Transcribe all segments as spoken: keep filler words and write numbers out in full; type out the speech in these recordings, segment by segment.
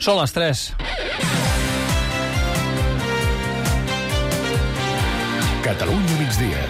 Són les tres. Catalunya migdia.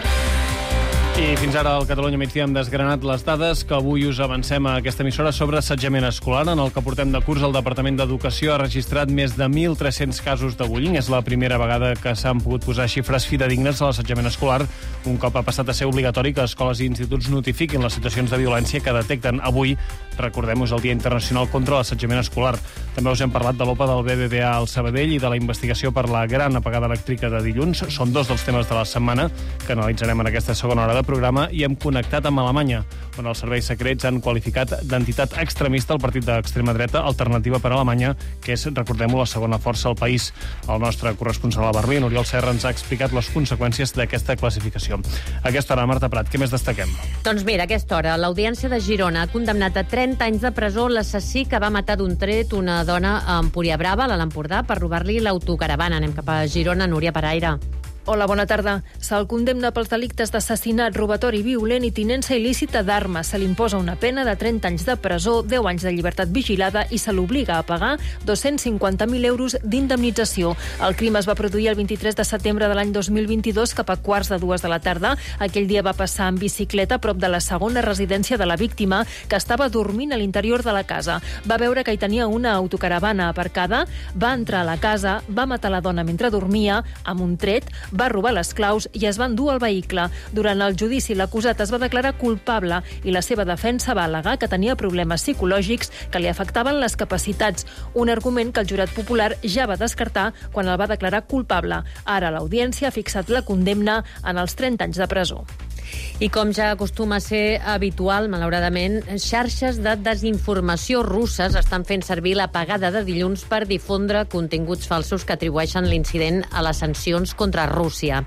I fins ara al Catalunya migdia hem desgranat les dades que avui us avancem a aquesta emissora sobre assetjament escolar. En el que portem de curs, el Departament d'Educació ha registrat més de mil tres-cents casos de bullying. És la primera vegada que s'han pogut posar xifres fidedignes a l'assetjament escolar, un cop ha passat a ser obligatori que escoles i instituts notifiquin les situacions de violència que detecten. Avui, recordem, és el Dia Internacional contra l'Assetjament Escolar. També us hem parlat de l'O P A del B B V A al Sabadell i de la investigació per la gran apagada elèctrica de dilluns. Són dos dels temes de la setmana que analitzarem en aquesta segona hora de programa, i hem connectat amb Alemanya, on els serveis secrets han qualificat d'entitat extremista el partit d'extrema dreta Alternativa per Alemanya, que és, recordem-ho, la segona força al país. El nostre corresponsal a Berlín, Oriol Serra, ens ha explicat les conseqüències d'aquesta classificació. A aquesta hora, Marta Prat, què més destaquem? Doncs mira, a aquesta hora, l'Audiència de Girona ha condemnat a trenta anys de presó l'assassí que va matar d'un tret una dona a Empuriabrava, a l'Empordà, per robar-li l'autocaravana. Anem cap a Girona, Núria Paraire. Hola, bona tarda. Se'l condemna pels delictes d'assassinat, robatori violent i tinença il·lícita d'armes. Se li imposa una pena de trenta anys de presó, deu anys de llibertat vigilada i se l'obliga a pagar dos-cents cinquanta mil euros d'indemnització. El crim es va produir el vint-i-tres de setembre de l'any dos mil vint-i-dos, cap a quarts de dues de la tarda. Aquell dia va passar en bicicleta a prop de la segona residència de la víctima, que estava dormint a l'interior de la casa. Va veure que hi tenia una autocaravana aparcada, va entrar a la casa, va matar la dona mentre dormia, amb un tret, va robar les claus i es va endur al vehicle. Durant el judici, l'acusat es va declarar culpable i la seva defensa va al·legar que tenia problemes psicològics que li afectaven les capacitats, un argument que el jurat popular ja va descartar quan el va declarar culpable. Ara l'Audiència ha fixat la condemna en els trenta anys de presó. I com ja acostuma a ser habitual, malauradament, xarxes de desinformació russes estan fent servir l'apagada de dilluns per difondre continguts falsos que atribueixen l'incident a les sancions contra Rússia.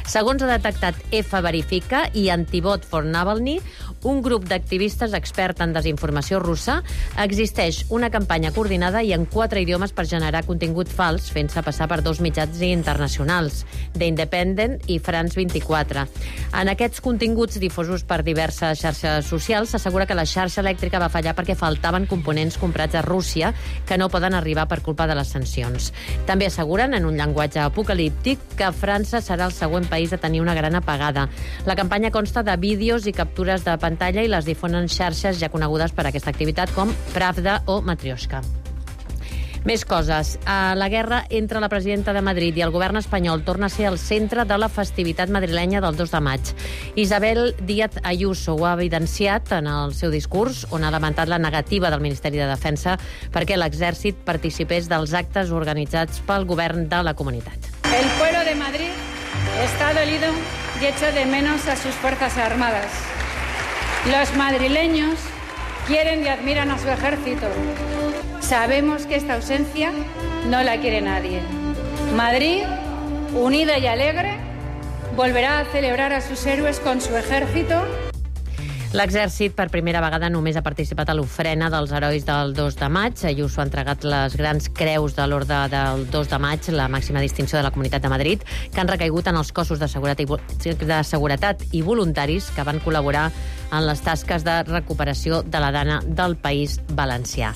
Segons ha detectat F Verifica i Antibot for Navalny, un grup d'activistes expert en desinformació russa, existeix una campanya coordinada i en quatre idiomes per generar contingut fals, fent-se passar per dos mitjans internacionals, The Independent i France vint-i-quatre. En aquests continguts difosos per diverses xarxes socials, s'assegura que la xarxa elèctrica va fallar perquè faltaven components comprats a Rússia que no poden arribar per culpa de les sancions. També asseguren, en un llenguatge apocalíptic, que França serà el següent país a tenir una gran apagada. La campanya consta de vídeos i captures de pantalla i les difonen xarxes ja conegudes per aquesta activitat com Pravda o Matrioshka. Més coses. La guerra entre la presidenta de Madrid i el govern espanyol torna a ser el centre de la festivitat madrilenya del dos de maig. Isabel Díaz Ayuso ho ha evidenciat en el seu discurs, on ha lamentat la negativa del Ministeri de Defensa perquè l'exèrcit participés dels actes organitzats pel govern de la comunitat. El pueblo de Madrid está dolido y echa de menos a sus fuerzas armadas. Los madrileños quieren y admiran a su ejército. Sabemos que esta ausencia no la quiere nadie. Madrid, unida y alegre, volverá a celebrar a sus héroes con su ejército. L'exèrcit per primera vegada només ha participat a l'ofrena dels herois del dos de maig. Ayuso ha entregat les grans creus de l'Orde del dos de maig, la màxima distinció de la Comunitat de Madrid, que han recaigut en els cossos de seguretat i voluntaris que van col·laborar en les tasques de recuperació de la dana del País Valencià.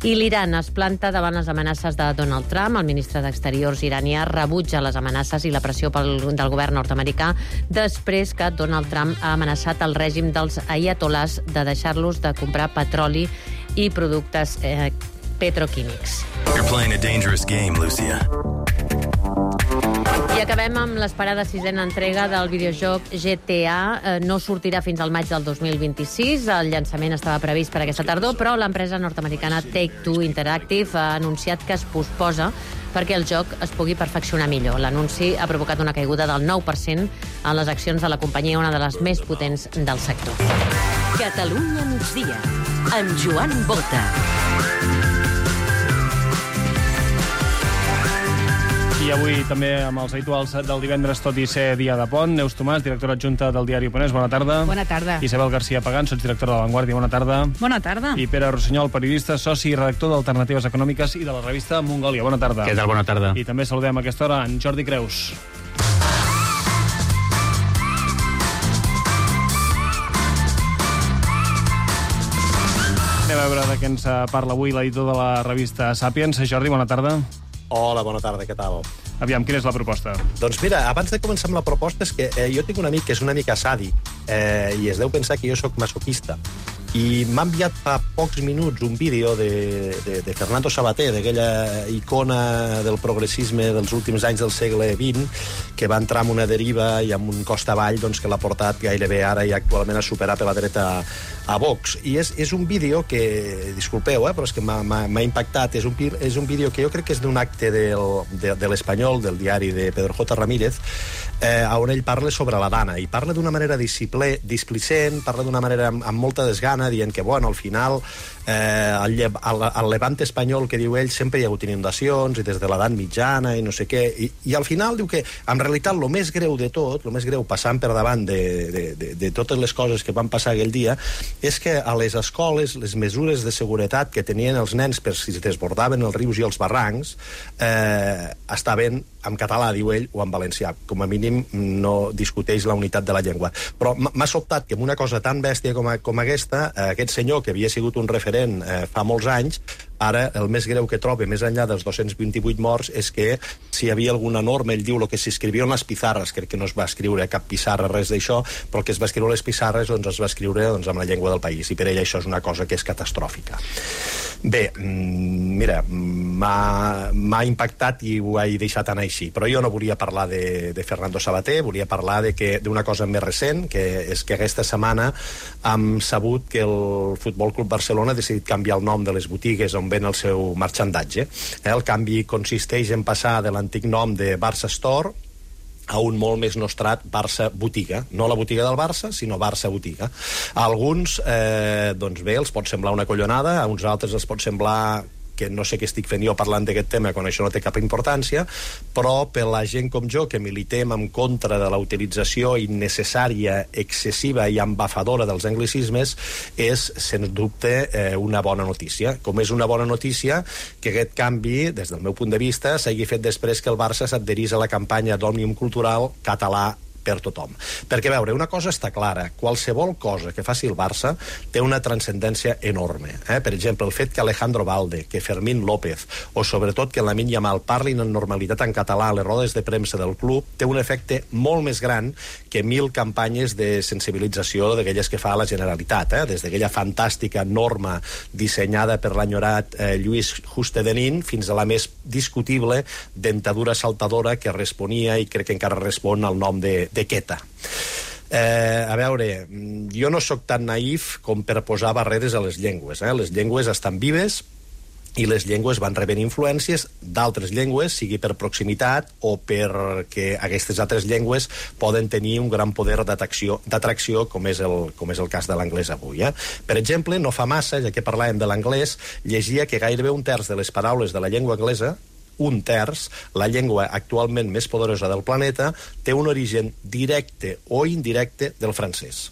I l'Iran es planta davant les amenaces de Donald Trump. El ministre d'Exteriors iranià rebutja les amenaces i la pressió pel, del govern nord-americà després que Donald Trump ha amenaçat el règim dels ayatolás de deixar-los de comprar petroli i productes eh, petroquímics. You're playing a dangerous game, Lucia. I acabem amb l'esperada sisena entrega del videojoc G T A. No sortirà fins al maig del dos mil vint-i-sis. El llançament estava previst per aquesta tardor, però l'empresa nord-americana Take-Two Interactive ha anunciat que es posposa perquè el joc es pugui perfeccionar millor. L'anunci ha provocat una caiguda del nou per cent en les accions de la companyia, una de les més potents del sector. Catalunya migdia, amb Joan Bota. I avui també amb els habituals del divendres, tot i ser dia de pont. Neus Tomàs, directora adjunta del diari Oponents, bona tarda. Bona tarda. Isabel García Pagán, sotsdirectora de La Vanguardia, bona tarda. Bona tarda. I Pere Rossinyol, periodista, soci i redactor d'Alternatives Econòmiques i de la revista Mongòlia, bona tarda. Què tal, bona tarda. I també saludem a aquesta hora en Jordi Creus. a veure de què ens parla avui l'editor de la revista Sapiens. Jordi, bona tarda. Hola, bona tarda, què tal? Aviam, quina és la proposta? Doncs mira, abans de començar amb la proposta, és que eh, jo tinc un amic que és una mica sàdic eh, i es deu pensar que jo sóc masoquista. I m'ha enviat fa pocs minuts un vídeo de, de, de Fernando Savater, d'aquella icona del progressisme dels últims anys del segle vint, que va entrar amb una deriva i amb un cost avall doncs, que l'ha portat gairebé ara i actualment a superar per la dreta a Vox. I és, és un vídeo que, disculpeu, eh, però és que m'ha impactat, és un, és un vídeo que jo crec que és d'un acte del, de, de l'Espanyol, del diari de Pedro J. Ramírez, eh, on ell parla sobre la Dana, i parla d'una manera displicent, parla d'una manera amb, amb molta desgana, dient que, bueno, al final eh, al, al, al Levant espanyol, que diu ell, sempre hi ha hagut inundacions, i des de l'edat mitjana, i no sé què, i, i al final diu que, en realitat, el més greu de tot, el més greu passant per davant de, de, de, de totes les coses que van passar aquell dia, és que a les escoles, les mesures de seguretat que tenien els nens per si es desbordaven els rius i els barrancs, eh, estaven en català, diu ell, o en valencià. Com a mínim no discuteix la unitat de la llengua. Però m'ha sobtat que amb una cosa tan bèstia com, a, com aquesta, eh, aquest senyor, que havia sigut un referent eh, fa molts anys, ara el més greu que troba, més enllà dels dos-cents vint-i-vuit morts, és que si hi havia alguna norma, ell diu el que s'escrivia en les pissarres, crec que no es va escriure cap pissarra, res d'això, però el que es va escriure a les pissarres doncs es va escriure doncs, amb la llengua del país, i per ell això és una cosa que és catastròfica. Bé, mira, m'ha impactat i ho he deixat anar així, però jo no volia parlar de, de Fernando Savater, volia parlar d'una cosa més recent, que és que aquesta setmana hem sabut que el Futbol Club Barcelona ha decidit canviar el nom de les botigues on ven el seu marxandatge. El canvi consisteix en passar de l'antic nom de Barça Store a un molt més nostrat Barça Botiga. No la botiga del Barça, sinó Barça Botiga. A alguns, eh, doncs bé, els pot semblar una collonada, a uns altres els pot semblar que no sé què estic fent jo parlant d'aquest tema quan això no té cap importància, però per la gent com jo que militem en contra de la utilització innecessària, excessiva i embafadora dels anglicismes, és, sens dubte, eh, una bona notícia. Com és una bona notícia que aquest canvi, des del meu punt de vista, s'hagi fet després que el Barça s'adherís a la campanya d'Òmnium Cultural català per tothom. Perquè, a veure, una cosa està clara, qualsevol cosa que faci el Barça té una transcendència enorme. Eh? Per exemple, el fet que Alejandro Valde, que Fermín López, o sobretot que Lamine Yamal parlin en normalitat en català a les rodes de premsa del club, té un efecte molt més gran que mil campanyes de sensibilització d'aquelles que fa la Generalitat, eh? Des d'aquella fantàstica norma dissenyada per l'enyorat eh, Lluís Justedenín fins a la més discutible dentadura saltadora que responia, i crec que encara respon, al nom de de Queta. Eh, a veure, jo no sóc tan naïf com per posar barreres a les llengües. Eh? Les llengües estan vives i les llengües van rebent influències d'altres llengües, sigui per proximitat o perquè aquestes altres llengües poden tenir un gran poder d'atracció, com és el, com és el cas de l'anglès avui. Eh? Per exemple, no fa massa, ja que parlàvem de l'anglès, llegia que gairebé un terç de les paraules de la llengua anglesa, un terç, la llengua actualment més poderosa del planeta, té un origen directe o indirecte del francès.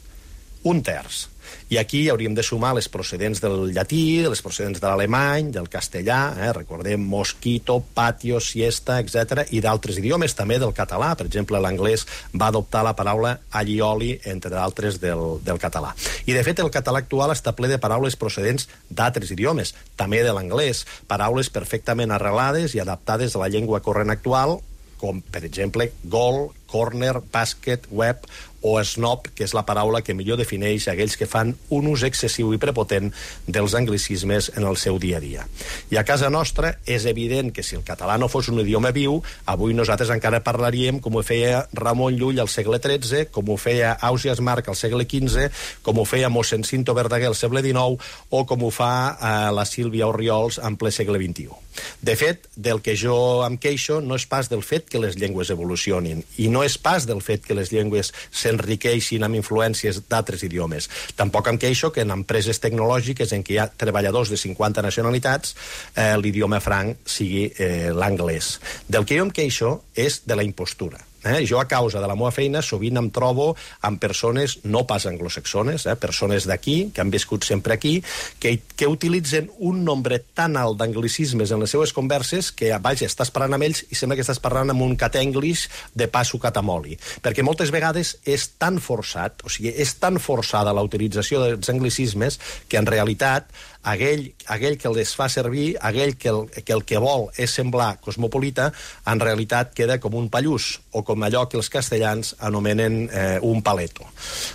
Un terç. I aquí hauríem de sumar les procedents del llatí, les procedents de l'alemany, del castellà, eh? Recordem mosquito, patio, siesta, etcètera, i d'altres idiomes, també del català. Per exemple, l'anglès va adoptar la paraula allioli, entre d'altres, del, del català. I, de fet, el català actual està ple de paraules procedents d'altres idiomes, també de l'anglès, paraules perfectament arrelades i adaptades a la llengua corrent actual, com, per exemple, gol, corner, bàsquet, web o snob, que és la paraula que millor defineix aquells que fan un ús excessiu i prepotent dels anglicismes en el seu dia a dia. I a casa nostra és evident que si el català no fos un idioma viu, avui nosaltres encara parlaríem com ho feia Ramon Llull al segle tretze, com ho feia Ausiàs Marc al segle quinze, com ho feia mossèn Cinto Verdaguer al segle dinou o com ho fa eh, la Sílvia Orriols en ple segle vint-i-u. De fet, del que jo em queixo no és pas del fet que les llengües evolucionin i no és pas del fet que les llengües s'enriqueixin amb influències d'altres idiomes. Tampoc em queixo que en empreses tecnològiques en què hi ha treballadors de cinquanta nacionalitats eh, l'idioma franc sigui eh, l'anglès. Del que jo em queixo és de la impostura. Eh? Jo, a causa de la meva feina, sovint em trobo amb persones no pas anglosaxones, eh? persones d'aquí, que han viscut sempre aquí, que, que utilitzen un nombre tan alt d'anglicismes en les seues converses que, vaja, estàs parlant amb ells i sembla que estàs parlant amb un cat-english de passo catamoli. Perquè moltes vegades és tan forçat, o sigui, és tan forçada la utilització dels anglicismes que, en realitat, aquell, aquell que les fa servir, aquell que el, que el que vol és semblar cosmopolita, en realitat queda com un pallús, o com allò que els castellans anomenen eh, un paleto.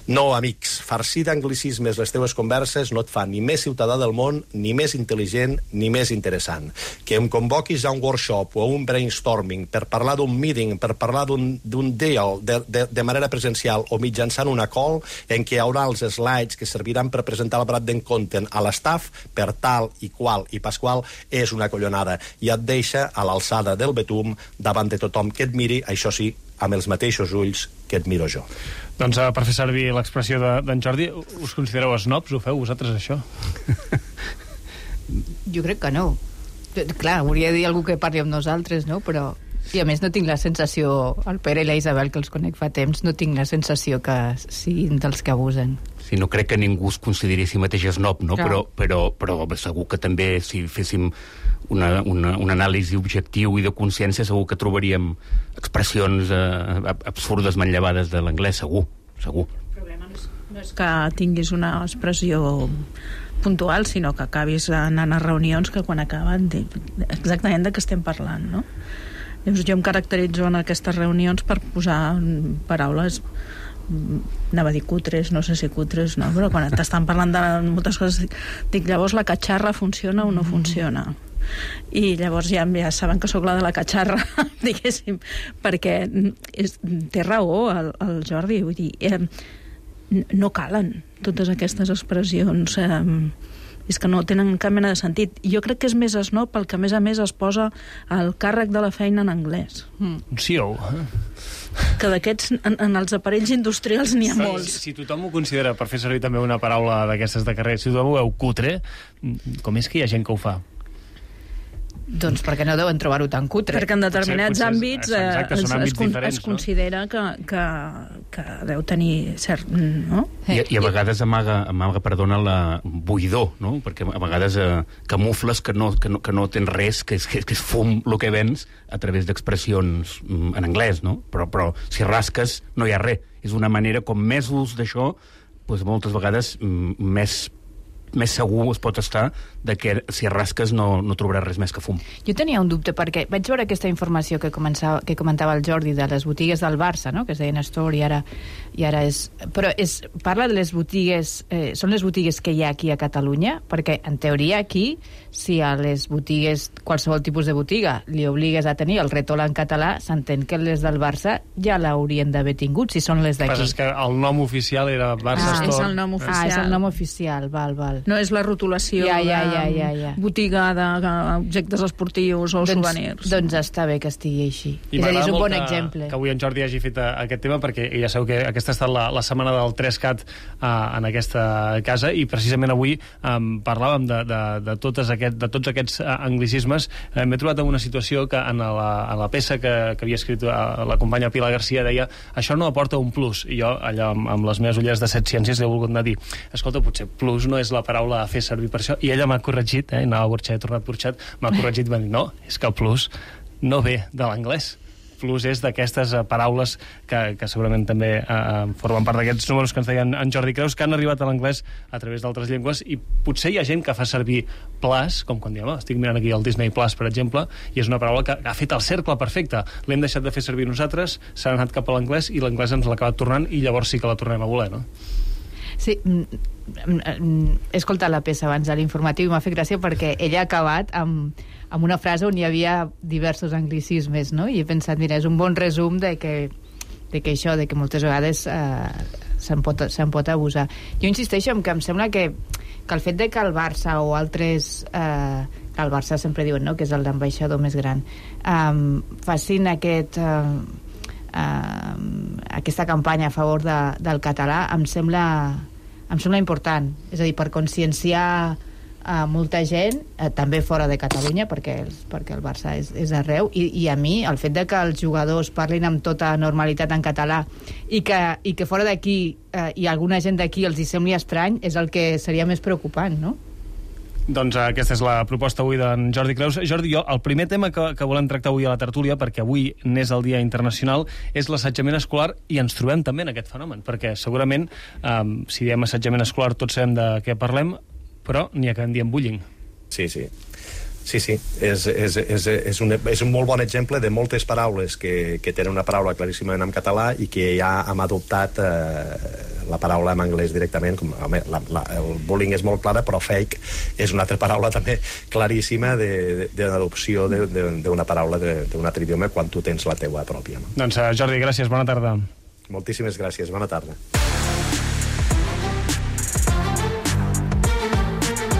No, amics, farcir d'anglicismes les teves converses no et fa ni més ciutadà del món, ni més intel·ligent, ni més interessant. Que em convoquis a un workshop o a un brainstorming per parlar d'un meeting, per parlar d'un deal de, de, de manera presencial o mitjançant una call en què hi haurà els slides que serviran per presentar el branding content a l'estaff per tal i qual i pasqual, és una collonada i et deixa a l'alçada del betum davant de tothom que et miri, això sí, amb els mateixos ulls que et miro jo. Doncs uh, per fer servir l'expressió d'en de, Jordi, us considereu snobs? Ho feu vosaltres, això? Jo crec que no. Clar, hauria de dir algú que parli amb nosaltres, no? Però... I a més no tinc la sensació, el Pere i la Isabel, que els conec fa temps, no tinc la sensació que siguin dels que abusen. Sí, no crec que ningú es consideri a si mateix snob, no? Però, però, però segur que també si féssim una, una, un anàlisi objectiu i de consciència segur que trobaríem expressions eh, absurdes manllevades de l'anglès, segur, segur. El problema no és, no és que tinguis una expressió puntual, sinó que acabis anant a reunions que quan acaben exactament de què estem parlant, no? Llavors jo em caracteritzo en aquestes reunions per posar paraules, anava a dir cutres, no sé si cutres, no, però quan t'estan parlant de moltes coses dic, llavors la catxarra funciona o no funciona? I llavors ja, ja saben que sóc la de la catxarra, diguéssim, perquè és, té raó el, el Jordi, vull dir, eh, no calen totes aquestes expressions, eh, és que no tenen cap mena de sentit. Jo crec que és més snob pel que a més a més es posa el càrrec de la feina en anglès. Mm. Un C E O. Que d'aquests, en, en els aparells industrials n'hi ha sí, molts. Si, si tothom ho considera, per fer servir també una paraula d'aquestes de carrer, si tothom ho veu cutre, com és que hi ha gent que ho fa? Doncs perquè no deuen trobar-ho tan cutre. Perquè en determinats potser, àmbits, eh, exacte, es, àmbits es, es considera no? que, que, que deu tenir cert... No? I, I a vegades amaga, amaga perdona, la buidor, no? Perquè a vegades eh, camufles que no, que, no, que no tens res, que és, que, que és fum el que vens a través d'expressions mm, en anglès, no? Però, però si rasques no hi ha res. És una manera, com més ús d'això, doncs moltes vegades mm, més més segur es pot estar de que si rasques no, no trobaràs res més que fum. Jo tenia un dubte perquè vaig veure aquesta informació que, començava, que comentava el Jordi de les botigues del Barça, no? Que es deien Store i ara, i ara és... Però és, parla de les botigues... Eh, són les botigues que hi ha aquí a Catalunya? Perquè en teoria aquí, si a les botigues, qualsevol tipus de botiga, li obligues a tenir el retol en català, s'entén que les del Barça ja l'haurien d'haver tingut, si són les d'aquí. El que passa és que el nom oficial era Barça ah, Store. És el nom oficial. Ah, és el nom oficial, val, val. No és la rotulació ja, ja, de ja, ja, ja. botiga d'objectes esportius o doncs, souvenirs. Doncs està bé que estigui així. I és a dir, és un bon que, exemple. Que avui en Jordi hagi fet aquest tema, perquè ja sabeu que aquesta ha estat la, la setmana del tres cat uh, en aquesta casa, i precisament avui um, parlàvem de, de, de, totes aquest, de tots aquests uh, anglicismes. Uh, M'he trobat en una situació que en la, en la peça que, que havia escrit uh, la companya Pilar Garcia deia, això no aporta un plus. I jo, allà amb, amb les meves ulleres de set ciències, he volgut anar a dir, escolta, potser plus no és la paraula a fer servir per això, i ella m'ha corregit, eh, anava a Burxat, he tornat Burxat, m'ha corregit i m'ha dit, no, és que el plus no ve de l'anglès. Plus és d'aquestes uh, paraules que, que segurament també uh, formen part d'aquests números que ens deien en Jordi Creus, que han arribat a l'anglès a través d'altres llengües, i potser hi ha gent que fa servir plus, com quan diem, oh, estic mirant aquí el Disney Plus, per exemple, i és una paraula que ha fet el cercle perfecte. L'hem deixat de fer servir nosaltres, s'ha anat cap a l'anglès, i l'anglès ens l'ha acabat tornant, i llavors sí que la tornem a voler, no? Sí, he escoltat la peça abans de l'informatiu i m'ha fet gràcia perquè ella ha acabat amb, amb una frase on hi havia diversos anglicismes, no? I he pensat, mira, és un bon resum de que, de que això, de que moltes vegades eh, se'n pot, se'n pot abusar. Jo insisteixo en que em sembla que, que el fet de que el Barça o altres... Eh, que el Barça sempre diuen, no?, que és l'ambaixador més gran, eh, facin aquest... Eh, Uh, aquesta campanya a favor de, del català em sembla, em sembla important, és a dir, per conscienciar uh, molta gent, uh, també fora de Catalunya, perquè, els, perquè el Barça és, és arreu, i, i a mi el fet de que els jugadors parlin amb tota normalitat en català i que, i que fora d'aquí uh, i alguna gent d'aquí els hi sembli estrany és el que seria més preocupant, no? Doncs aquesta és la proposta avui d'en Jordi Creus. Jordi, jo, el primer tema que, que volem tractar avui a la tertúlia, perquè avui n'és el Dia Internacional, és l'assetjament escolar, i ens trobem també en aquest fenomen, perquè segurament, um, si diem assetjament escolar, tots sabem de què parlem, però n'hi ha que en diem bullying. Sí, sí. Sí, sí, és, és, és, és, un, és un molt bon exemple de moltes paraules que, que tenen una paraula claríssimament en català i que ja hem adoptat eh, la paraula en anglès directament. Com, home, la, la, el bullying és molt clara, però fake és una altra paraula també claríssima de, de, de l'adopció d'una paraula d'un altre idioma quan tu tens la teua pròpia. No? Doncs Jordi, gràcies, bona tarda. Moltíssimes gràcies, bona tarda.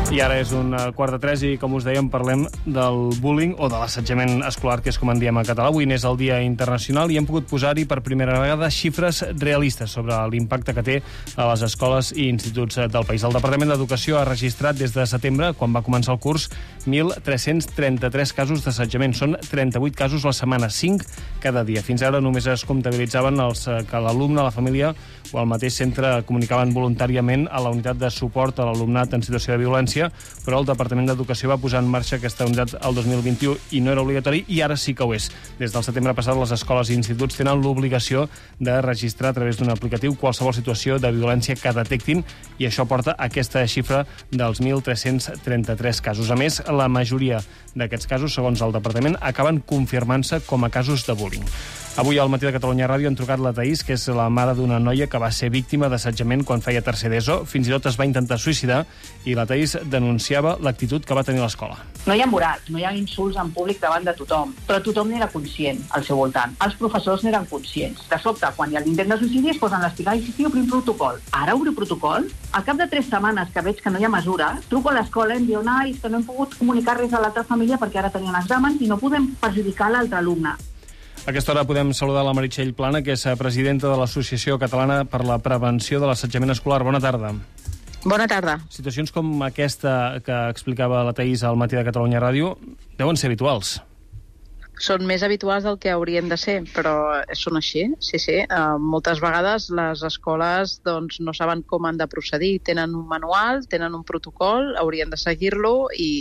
I ara és un quart de tres i, com us dèiem, parlem del bullying o de l'assetjament escolar, que és com en diem a català. Avui n'és el Dia Internacional i hem pogut posar-hi per primera vegada xifres realistes sobre l'impacte que té a les escoles i instituts del país. El Departament d'Educació ha registrat des de setembre, quan va començar el curs, mil tres-cents trenta-tres casos d'assetjament. Són trenta-vuit casos a la setmana, cinc cada dia. Fins ara només es comptabilitzaven els que l'alumne, la família o el mateix centre comunicaven voluntàriament a la unitat de suport a l'alumnat en situació de violència, però el Departament d'Educació va posar en marxa aquesta unitat el dos mil vint-i-u i no era obligatori, i ara sí que ho és. Des del setembre passat, les escoles i instituts tenen l'obligació de registrar a través d'un aplicatiu qualsevol situació de violència que detectin, i això porta a aquesta xifra dels mil tres-cents trenta-tres casos. A més, la majoria d'aquests casos, segons el Departament, acaben confirmant-se com a casos de bullying. Avui al Matí de Catalunya Ràdio han trucat la Taís, que és la mare d'una noia que va ser víctima d'assetjament quan feia tercer d'ESO. Fins i tot es va intentar suïcidar, i la Taís denunciava l'actitud que va tenir a l'escola. No hi ha morals, no hi ha insults en públic davant de tothom, però tothom n'era conscient al seu voltant. Els professors n'eren conscients. De sobte, quan hi ha l'intent de suïcidi, es posen l'espiral i sí, obrim protocol. Ara obro protocol? Al cap de tres setmanes que veig que no hi ha mesura, truco a l'escola i em diuen ai, és que no hem pogut comunicar res a l'altra família perquè ara tenien exàmens i no podem perjudicar l'altre alumne. A aquesta hora podem saludar la Meritxell Plana, que és presidenta de l'Associació Catalana per la Prevenció de l'Assetjament Escolar. Bona tarda. Bona tarda. Situacions com aquesta que explicava la Taís al Matí de Catalunya Ràdio deuen ser habituals. Són més habituals del que haurien de ser, però són així, sí, sí. Uh, moltes vegades les escoles doncs, no saben com han de procedir. Tenen un manual, tenen un protocol, haurien de seguir-lo i...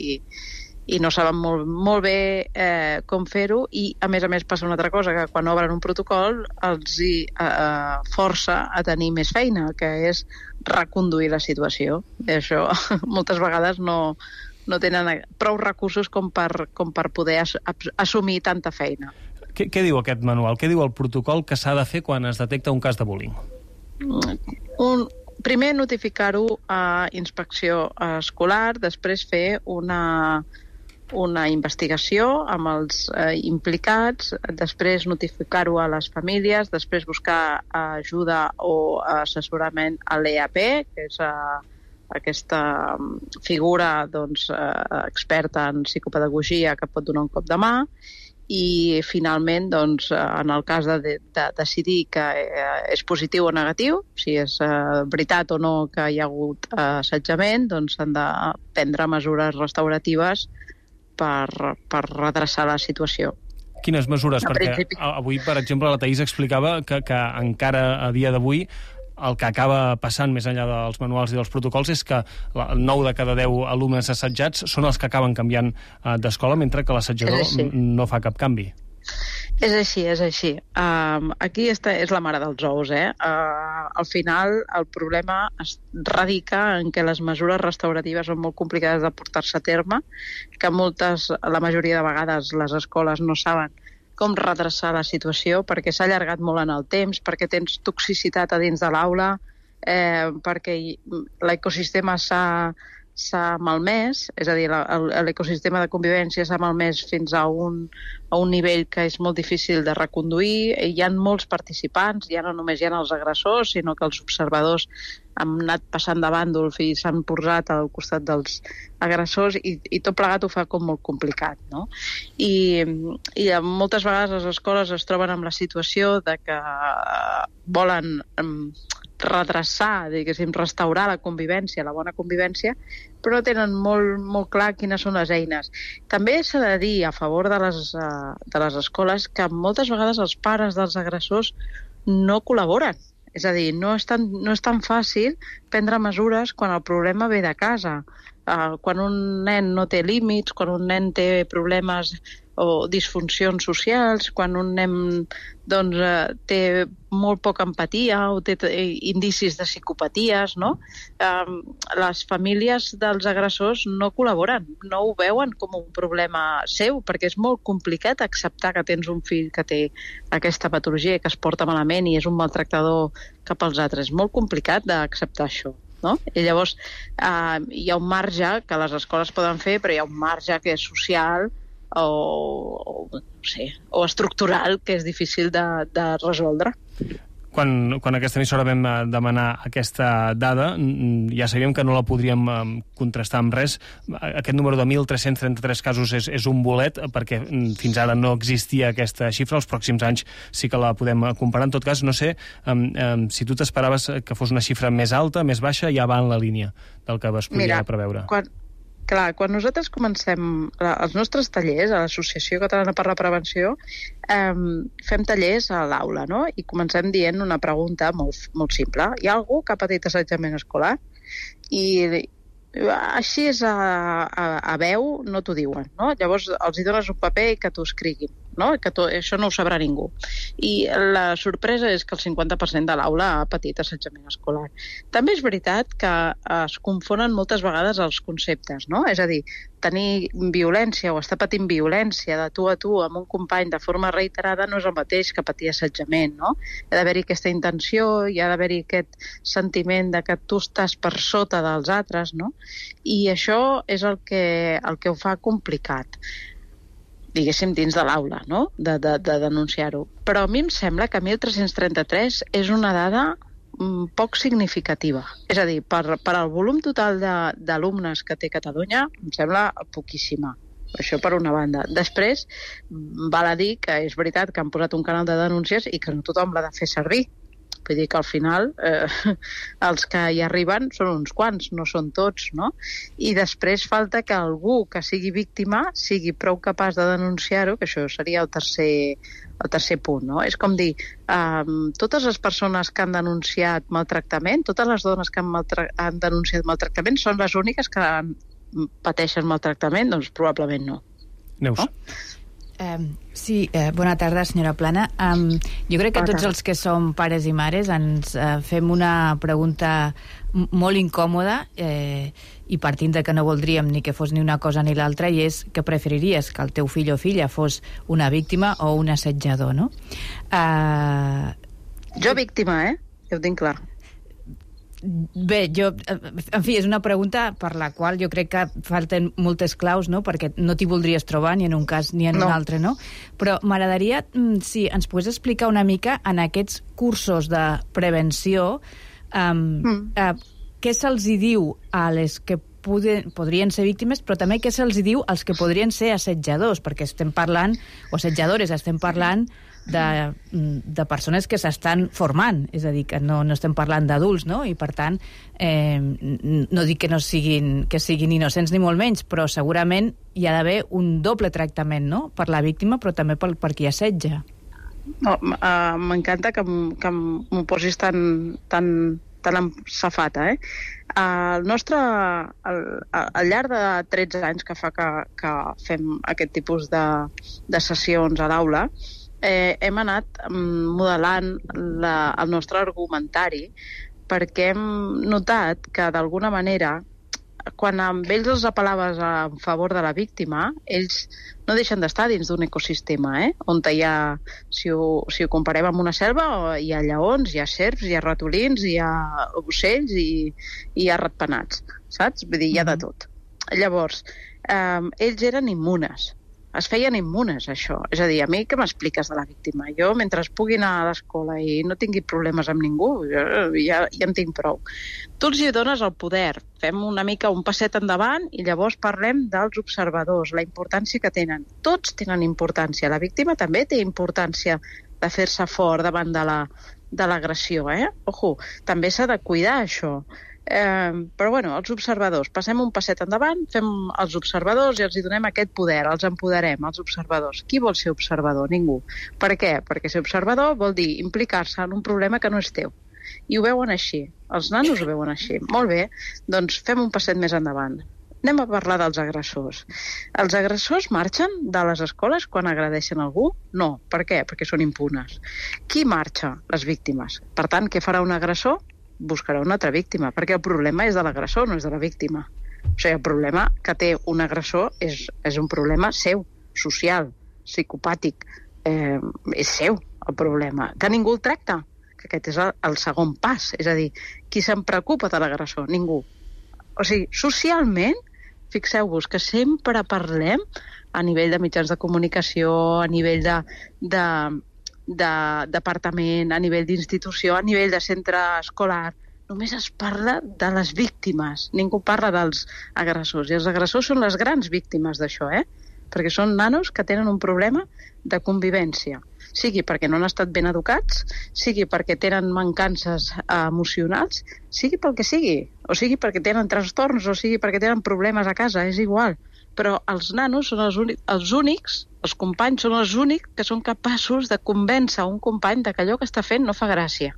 i no saben molt, molt bé eh, com fer-ho, i a més a més passa una altra cosa, que quan obren un protocol els hi eh, força a tenir més feina, que és reconduir la situació. I això moltes vegades no, no tenen prou recursos com per, com per poder as, assumir tanta feina. Què, què diu aquest manual? Què diu el protocol que s'ha de fer quan es detecta un cas de bullying? Un, primer notificar-ho a inspecció escolar, després fer una... una investigació amb els eh, implicats, després notificar-ho a les famílies, després buscar ajuda o assessorament a l'E A P, que és eh, aquesta figura doncs, eh, experta en psicopedagogia que pot donar un cop de mà, i finalment, doncs, en el cas de, de decidir que eh, és positiu o negatiu, si és eh, veritat o no que hi ha hagut eh, assetjament, doncs s'han de prendre mesures restauratives per, per redreçar la situació. Quines mesures? No, Perquè principi... avui, per exemple, la Taís explicava que, que encara a dia d'avui el que acaba passant més enllà dels manuals i dels protocols és que nou de cada deu alumnes assetjats són els que acaben canviant d'escola, mentre que l'assetjador no fa cap canvi. És així, és així. Um, aquí està, és la mare dels ous, eh? Uh, al final, el problema es radica en que les mesures restauratives són molt complicades de portar-se a terme, que moltes, la majoria de vegades, les escoles no saben com redreçar la situació, perquè s'ha allargat molt en el temps, perquè tens toxicitat a dins de l'aula, eh, perquè l'ecosistema s'ha s'ha malmès, és a dir, l'ecosistema de convivència s'ha malmès fins a un, a un nivell que és molt difícil de reconduir. Hi ha molts participants, ja no només hi ha els agressors, sinó que els observadors han anat passant de bàndol i s'han posat al costat dels agressors, i, i tot plegat ho fa com molt complicat, no? I, i moltes vegades les escoles es troben amb la situació de que volen um, redreçar, diguéssim, restaurar la convivència, la bona convivència, però no tenen molt, molt clar quines són les eines. També s'ha de dir a favor de les, uh, de les escoles que moltes vegades els pares dels agressors no col·laboren. És a dir, no és tan, no és tan fàcil prendre mesures quan el problema ve de casa. Uh, quan un nen no té límits, quan un nen té problemes o disfuncions socials, quan un nen doncs, eh, té molt poca empatia o té indicis de psicopaties, no? Eh, les famílies dels agressors no col·laboren, no ho veuen com un problema seu, perquè és molt complicat acceptar que tens un fill que té aquesta patologia i que es porta malament i és un maltractador cap als altres. És molt complicat d'acceptar això. No? I llavors eh, hi ha un marge que les escoles poden fer, però hi ha un marge que és social o, o, no sé, o estructural que és difícil de, de resoldre. Quan, quan aquesta emissora vam demanar aquesta dada, ja sabíem que no la podríem contrastar amb res. Aquest número de mil tres-cents trenta-tres casos és, és un bolet, perquè fins ara no existia aquesta xifra. Els pròxims anys sí que la podem comparar. En tot cas, no sé um, um, si tu t'esperaves que fos una xifra més alta, més baixa, ja va en la línia del que es podia Mira, preveure. Quan... Clar, quan nosaltres comencem els nostres tallers a l'Associació Catalana per la Prevenció, eh, fem tallers a l'aula, no? I comencem dient una pregunta molt, molt simple. Hi ha algú que ha patit assetjament escolar? I així és a, a, a veu, no t'ho diuen, no? Llavors els hi dones un paper i que t'ho escriguin, no? Que to, això no ho sabrà ningú. I la sorpresa és que el cinquanta per cent de l'aula ha patit assetjament escolar. També és veritat que es confonen moltes vegades els conceptes, no? És a dir, tenir violència o estar patint violència de tu a tu amb un company de forma reiterada no és el mateix que patir assetjament, no? Hi ha d'haver-hi aquesta intenció, hi ha d'haver-hi aquest sentiment de que tu estàs per sota dels altres, no? I això és el que, el que ho fa complicat, diguéssim, dins de l'aula, no? De, de, de denunciar-ho. Però a mi em sembla que mil tres-cents trenta-tres és una dada mm, poc significativa. És a dir, per, per al volum total d'alumnes que té Catalunya, em sembla poquíssima. Això per una banda. Després, val a dir que és veritat que han posat un canal de denúncies i que no tothom l'ha de fer servir. Vull dir que al final eh, els que hi arriben són uns quants, no són tots, no? I després falta que algú que sigui víctima sigui prou capaç de denunciar-ho, que això seria el tercer, el tercer punt, no? És com dir, eh, totes les persones que han denunciat maltractament, totes les dones que han, maltra han denunciat maltractament són les úniques que pateixen maltractament? Doncs probablement no. Neus. No? Um, sí, uh, bona tarda, senyora Plana. Um, jo crec que tots els que som pares i mares ens uh, fem una pregunta molt incòmoda eh, i partint de que no voldríem ni que fos ni una cosa ni l'altra, i és que preferiries que el teu fill o filla fos una víctima o un assetjador, no? Uh... Jo víctima, eh? Ja ho tinc clar. Bé, jo, en fi, és una pregunta per la qual jo crec que falten moltes claus, no? Perquè no t'hi voldries trobar ni en un cas ni en no. un altre, no? Però m'agradaria, si ens pogués explicar una mica en aquests cursos de prevenció um, mm. uh, què se'ls hi diu a les que poden, podrien ser víctimes, però també què se'ls hi diu als que podrien ser assetjadors, perquè estem parlant, o assetjadores, estem parlant de, de persones que s'estan formant, és a dir, que no, no estem parlant d'adults, no? I per tant, eh, no dic que no siguin, que siguin innocents ni molt menys, però segurament hi ha d'haver un doble tractament, no? Per la víctima, però també per, per qui assetja. No, uh, m'encanta que, que m'ho posis tan, tan, tan amb safata, eh? Uh, el nostre, al, al llarg de tretze anys que fa que, que fem aquest tipus de, de sessions a l'aula, eh, hem anat modelant la, el nostre argumentari, perquè hem notat que d'alguna manera quan amb ells els apel·laves a favor de la víctima, ells no deixen d'estar dins d'un ecosistema, eh? On hi ha, si ho, si ho comparem amb una selva, hi ha lleons, hi ha serps, hi ha ratolins, hi ha ocells i, i hi ha ratpenats, saps? Vull dir, hi ha de tot. Llavors, eh, ells eren immunes, es feien immunes, això. És a dir, a mi què m'expliques de la víctima? Jo, mentre es pugui anar a l'escola i no tingui problemes amb ningú, jo, ja, ja en tinc prou. Tu els hi dones el poder, fem una mica un passet endavant i llavors parlem dels observadors, la importància que tenen. Tots tenen importància. La víctima també té importància de fer-se fort davant de la, de l'agressió, eh? Ojo, també s'ha de cuidar això. Eh, però bueno, els observadors, passem un passet endavant, fem els observadors i els hi donem aquest poder, els empoderem, els observadors. Qui vol ser observador? Ningú. Per què? Perquè ser observador vol dir implicar-se en un problema que no és teu. I ho veuen així, els nanos ho veuen així. Molt bé, doncs fem un passet més endavant. anem a parlar dels agressors. Els agressors marxen de les escoles quan agredeixen algú? No. Per què? Perquè són impunes. Qui marxa? Les víctimes. Per tant, què farà un agressor? Buscarà una altra víctima, perquè el problema és de l'agressor, no és de la víctima. O sigui, el problema que té un agressor és, és un problema seu, social, psicopàtic. Eh, és seu, el problema. Que ningú el tracta, que aquest és el, el segon pas. És a dir, qui se'n preocupa de l'agressor? Ningú. O sigui, socialment, fixeu-vos que sempre parlem a nivell de mitjans de comunicació, a nivell de, de, de departament, a nivell d'institució, a nivell de centre escolar. Només es parla de les víctimes. Ningú parla dels agressors. I els agressors són les grans víctimes d'això, eh? Perquè són nanos que tenen un problema de convivència. Sigui perquè no han estat ben educats, sigui perquè tenen mancances emocionals, sigui pel que sigui, o sigui perquè tenen trastorns, o sigui perquè tenen problemes a casa, és igual. Però els nanos són els, únics, els únics, els companys són els únics que són capaços de convèncer un company de que allò que està fent no fa gràcia.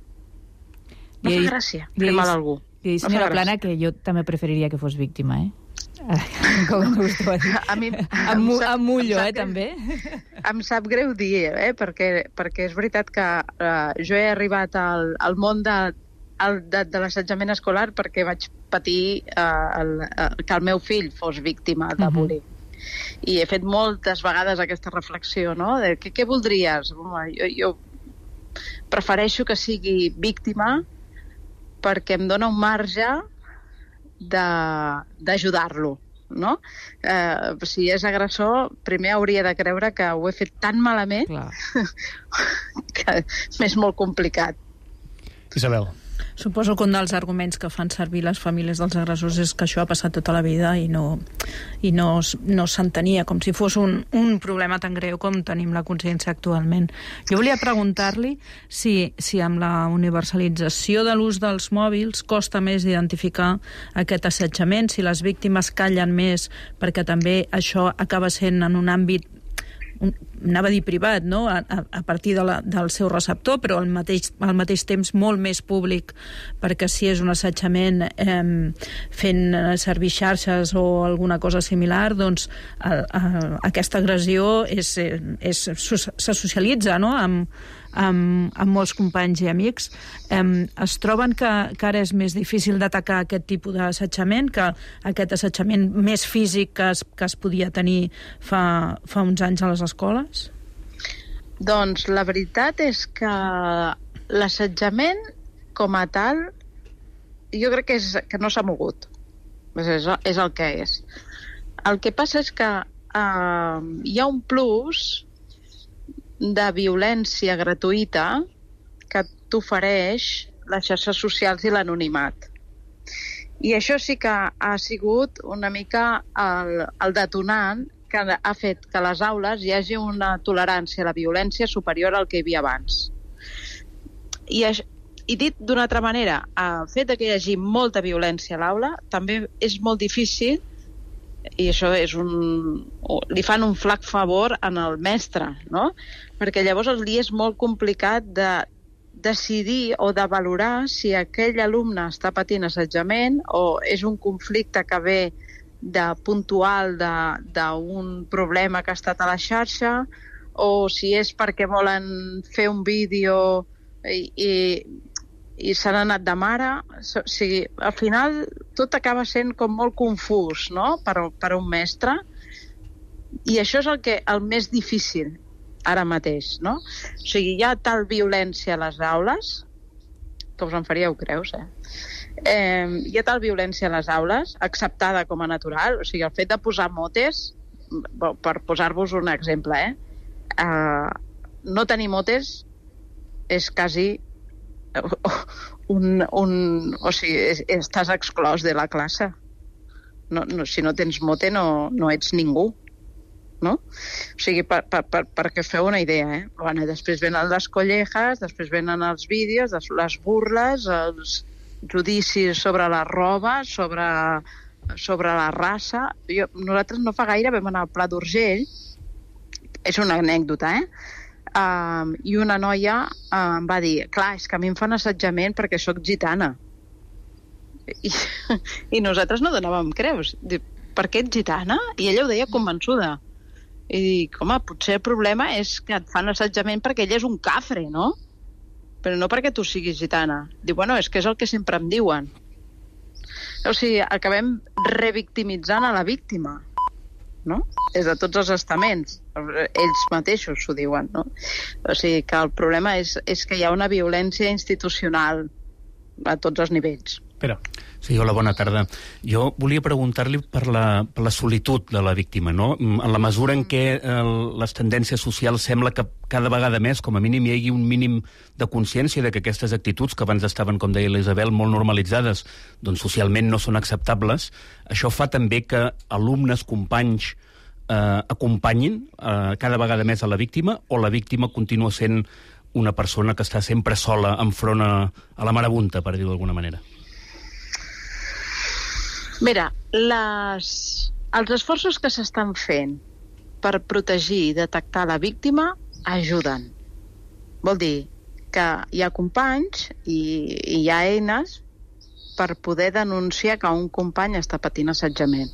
No fa gràcia fer mal a algú. I senyora Plana, que jo també preferiria que fos víctima, eh? Com em gustava dir. A mi, em, em mullo, eh, també. Em sap greu dir, eh, perquè, perquè és veritat que uh, jo he arribat al, al món de, al, de, de l'assetjament escolar perquè vaig patir uh, el, uh, que el meu fill fos víctima de bullying. Uh-huh. I he fet moltes vegades aquesta reflexió, no?, de què, què voldries? Home, jo, jo prefereixo que sigui víctima perquè em dona un marge d'ajudar-lo, no? Eh, si és agressor, primer hauria de creure que ho he fet tan malament que m'és molt complicat. Isabel. Suposo que un dels arguments que fan servir les famílies dels agressors és que això ha passat tota la vida i no, i no, no s'entenia, com si fos un, un problema tan greu com tenim la consciència actualment. Jo volia preguntar-li si, si amb la universalització de l'ús dels mòbils costa més identificar aquest assetjament, si les víctimes callen més perquè també això acaba sent en un àmbit, un, anava a dir privat, no?, a, a partir de la, del seu receptor, però al mateix, al mateix temps molt més públic, perquè si és un assetjament eh, fent servir xarxes o alguna cosa similar, doncs a, a, aquesta agressió és, és, se socialitza, no?, amb, amb, amb molts companys i amics. Eh, es troben que, que ara és més difícil d'atacar aquest tipus d'assetjament, que aquest assetjament més físic que es, que es podia tenir fa, fa uns anys a les escoles? Doncs la veritat és que l'assetjament com a tal jo crec que, és, que no s'ha mogut. És, és el que és. El que passa és que eh, hi ha un plus de violència gratuïta que t'ofereix les xarxes socials i l'anonimat. I això sí que ha sigut una mica el, el detonant que ha fet que a les aules hi hagi una tolerància a la violència superior al que hi havia abans. I, i dit d'una altra manera, el fet que hi hagi molta violència a l'aula també és molt difícil, i això és un, li fan un flac favor en el mestre, no? Perquè llavors li és molt complicat de decidir o de valorar si aquell alumne està patint assetjament o és un conflicte que ve de puntual d'un problema que ha estat a la xarxa, o si és perquè volen fer un vídeo i, i, i s'han anat de mare. O sigui, al final tot acaba sent com molt confús, no?, per, per un mestre, i això és el, que, el més difícil ara mateix, no? O sigui, hi ha tal violència a les aules que us en faríeu creus, eh? Eh, hi ha tal violència a les aules, acceptada com a natural, o sigui, el fet de posar motes, per posar-vos un exemple, eh? Eh, no tenir motes és quasi un, un, o sigui, estàs exclòs de la classe. No, no, si no tens mote no, no ets ningú, no? O sigui, per, per, per, perquè feu una idea, eh? Bueno, després venen les collejas, després venen els vídeos, les burles, els judicis sobre la roba, sobre, sobre la raça. Jo, nosaltres no fa gaire vam anar al Pla d'Urgell, és una anècdota, eh? Uh, i una noia uh, em va dir, clar, és que a mi em fan assetjament perquè sóc gitana. I, i nosaltres no donàvem creus. per què ets gitana? I ella ho deia convençuda. I dic, home, potser el problema és que et fan assetjament perquè ella és un cafre, no? Però no perquè tu siguis gitana. Diu, bueno, és que és el que sempre em diuen. O sigui, acabem revictimitzant a la víctima, no? Des de tots els estaments. Ells mateixos s'ho diuen, no? O sigui, que el problema és, és que hi ha una violència institucional a tots els nivells. Pere. Sí, hola, bona tarda. Jo volia preguntar-li per la, per la solitud de la víctima, no? En la mesura en què el, les tendències socials sembla que cada vegada més, com a mínim, hi hagi un mínim de consciència de que aquestes actituds, que abans estaven, com deia l'Isabel, molt normalitzades, doncs socialment no són acceptables, això fa també que alumnes, companys, eh, acompanyin eh, cada vegada més a la víctima, o la víctima continua sent una persona que està sempre sola enfront a, a la marabunta, per dir-ho d'alguna manera? Mira, les... els esforços que s'estan fent per protegir i detectar la víctima ajuden. Vol dir que hi ha companys i, i hi ha eines per poder denunciar que un company està patint assetjament.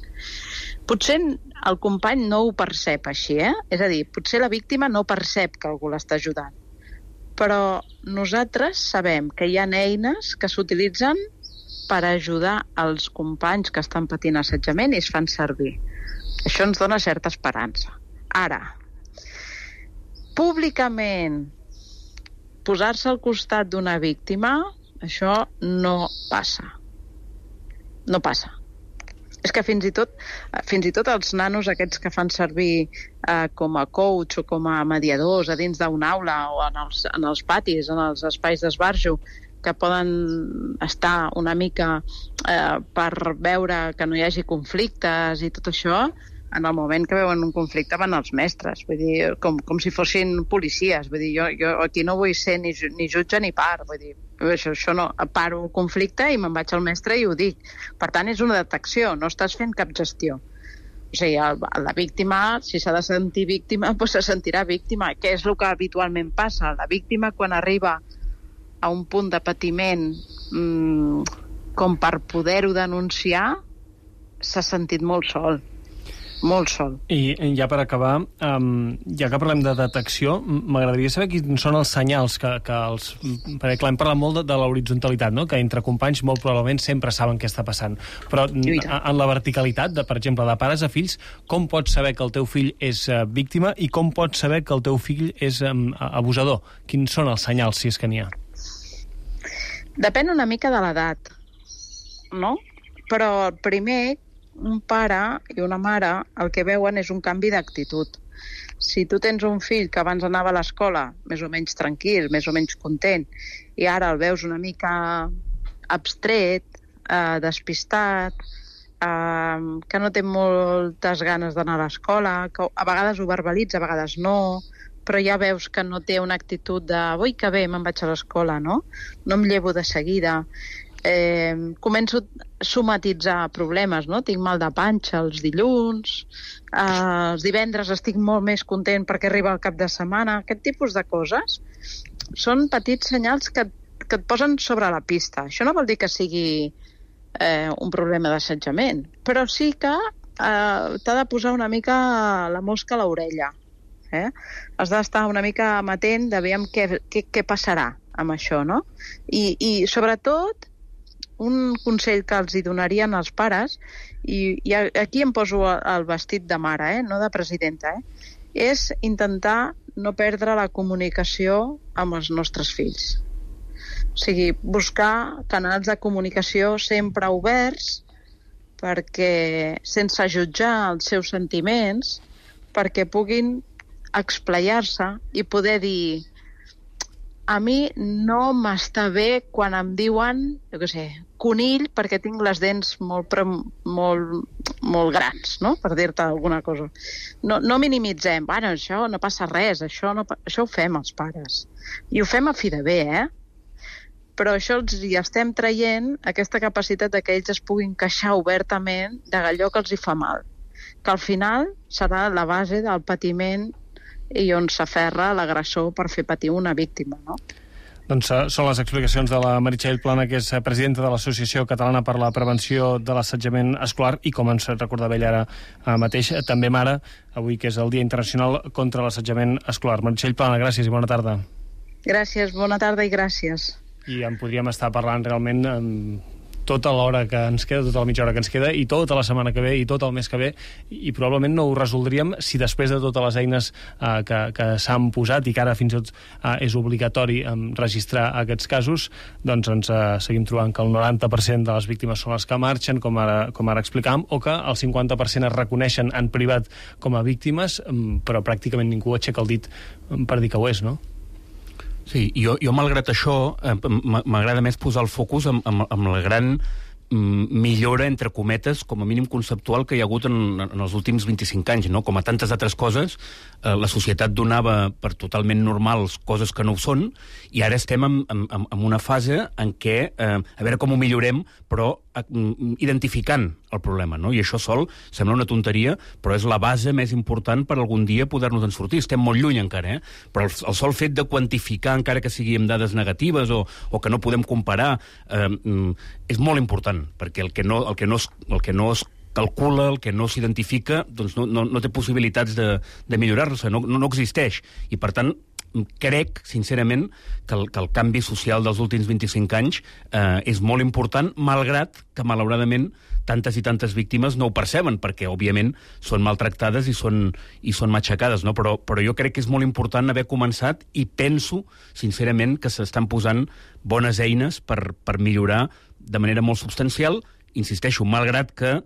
Potser el company no ho percep així, eh? És a dir, potser la víctima no percep que algú l'està ajudant. Però nosaltres sabem que hi ha eines que s'utilitzen per ajudar els companys que estan patint assetjament i es fan servir. Això ens dona certa esperança. Ara, públicament posar-se al costat d'una víctima, això no passa. No passa. És que fins i tot, fins i tot els nanos aquests que fan servir eh, com a coach o com a mediadors a dins d'una aula o en els, en els patis, en els espais d'esbarjo, que poden estar una mica eh, per veure que no hi hagi conflictes i tot això, en el moment que veuen un conflicte van als mestres, vull dir, com, com si fossin policies. Vull dir, jo, jo aquí no vull ser ni, ni jutge ni part, vull dir, això, això no, paro el conflicte i me'n vaig al mestre i ho dic. Per tant, és una detecció, no estàs fent cap gestió. O sigui, el, la víctima, si s'ha de sentir víctima, doncs se sentirà víctima. Què és el que habitualment passa? La víctima, quan arriba a un punt de patiment mmm, com per poder-ho denunciar, s'ha sentit molt sol. Molt sol. I ja per acabar, um, ja que parlem de detecció, m'agradaria saber quins són els senyals que, que els... Perquè clar, hem parlat molt de, de l'horitzontalitat, no? Que entre companys molt probablement sempre saben què està passant. Però en la verticalitat, de, per exemple, de pares a fills, com pots saber que el teu fill és uh, víctima i com pots saber que el teu fill és um, abusador? Quins són els senyals, si és que n'hi ha? Depèn una mica de l'edat, no? Però primer, un pare i una mare el que veuen és un canvi d'actitud. Si tu tens un fill que abans anava a l'escola més o menys tranquil, més o menys content, i ara el veus una mica abstret, eh, despistat, eh, que no té moltes ganes d'anar a l'escola, que a vegades ho verbalitza, a vegades no, però ja veus que no té una actitud de ui, que bé, me'n vaig a l'escola, no? No em llevo de seguida. Eh, començo a somatitzar problemes, no? Tinc mal de panxa els dilluns, eh, els divendres estic molt més content perquè arriba el cap de setmana. Aquest tipus de coses són petits senyals que, que et posen sobre la pista. Això no vol dir que sigui eh, un problema d'assetjament, però sí que eh, t'ha de posar una mica la mosca a l'orella. Eh? Has d'estar una mica amatent de veure què, què, què passarà amb això, no? I, i sobretot un consell que els hi donarien als pares, i, i aquí em poso el vestit de mare, eh? No de presidenta, eh? És intentar no perdre la comunicació amb els nostres fills. O sigui, buscar canals de comunicació sempre oberts perquè, sense jutjar els seus sentiments, perquè puguin explayar-se i poder dir a mi no m'està bé quan em diuen, jo què sé, conill perquè tinc les dents molt, molt, molt grans, no? Per dir-te alguna cosa. No, no minimitzem, bueno, això no passa res, això, no, això ho fem els pares. I ho fem a fi de bé, eh? Però això els hi estem traient aquesta capacitat de que ells es puguin queixar obertament d'allò que els hi fa mal. Que al final serà la base del patiment i on s'aferra l'agressor per fer patir una víctima, no? Doncs uh, són les explicacions de la Meritxell Plana, que és presidenta de l'Associació Catalana per la Prevenció de l'Assetjament Escolar, i com ens recordava ella ara uh, mateix, també mare, avui que és el Dia Internacional contra l'Assetjament Escolar. Meritxell Plana, gràcies i bona tarda. Gràcies, bona tarda i gràcies. I en podríem estar parlant realment amb tota l'hora que ens queda, tota la mitja hora que ens queda, i tota la setmana que ve, i tot el mes que ve, i probablement no ho resoldríem si després de totes les eines eh, que, que s'han posat, i que ara fins i tot eh, és obligatori eh, registrar aquests casos, doncs ens eh, seguim trobant que el noranta per cent de les víctimes són les que marxen, com ara, com ara explicàvem, o que el cinquanta per cent es reconeixen en privat com a víctimes, però pràcticament ningú aixeca el dit per dir que ho és, no? Sí, jo, jo malgrat això, eh, m'agrada més posar el focus amb, amb, amb la gran mm, millora, entre cometes, com a mínim conceptual, que hi ha hagut en, en els últims vint-i-cinc anys, no? Com a tantes altres coses, eh, la societat donava per totalment normals coses que no ho són, i ara estem en, en, en una fase en què, eh, a veure com ho millorem, però eh, identificant el problema, no? I això sol sembla una tonteria, però és la base més important per algun dia poder-nos en sortir. Estem molt lluny encara, eh? Però el, el sol fet de quantificar, encara que sigui amb dades negatives o, o que no podem comparar, eh, és molt important, perquè el que no, el que no, es, el que no es calcula, el que no s'identifica, doncs no, no, no té possibilitats de, de millorar-se, no, no, no existeix. I, per tant, crec, sincerament, que el, que el canvi social dels últims vint-i-cinc anys eh, és molt important, malgrat que, malauradament, tantes i tantes víctimes no ho perceben, perquè, òbviament, són maltractades i són, i són matxacades, no? Però, però jo crec que és molt important haver començat, i penso, sincerament, que s'estan posant bones eines per, per millorar de manera molt substancial, insisteixo, malgrat que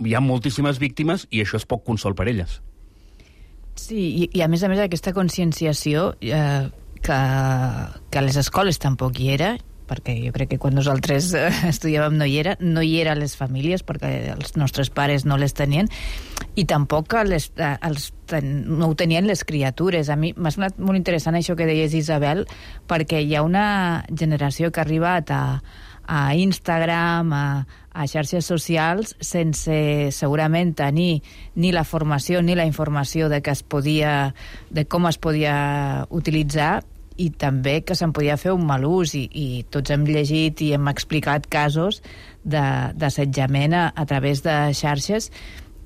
hi ha moltíssimes víctimes i això és poc consol per elles. Sí, i, i a més a més aquesta conscienciació eh, que, que a les escoles tampoc hi era, perquè jo crec que quan nosaltres eh, estudiàvem no hi era, no hi era a les famílies, perquè els nostres pares no les tenien, i tampoc les, eh, els ten, no ho tenien les criatures. A mi m'ha semblat molt interessant això que deies, Isabel, perquè hi ha una generació que ha arribat a, a Instagram, a, a xarxes socials, sense segurament tenir ni la formació ni la informació de, que es podia, de com es podia utilitzar, i també que se'n podia fer un mal ús, i, i tots hem llegit i hem explicat casos d'assetjament a, a través de xarxes.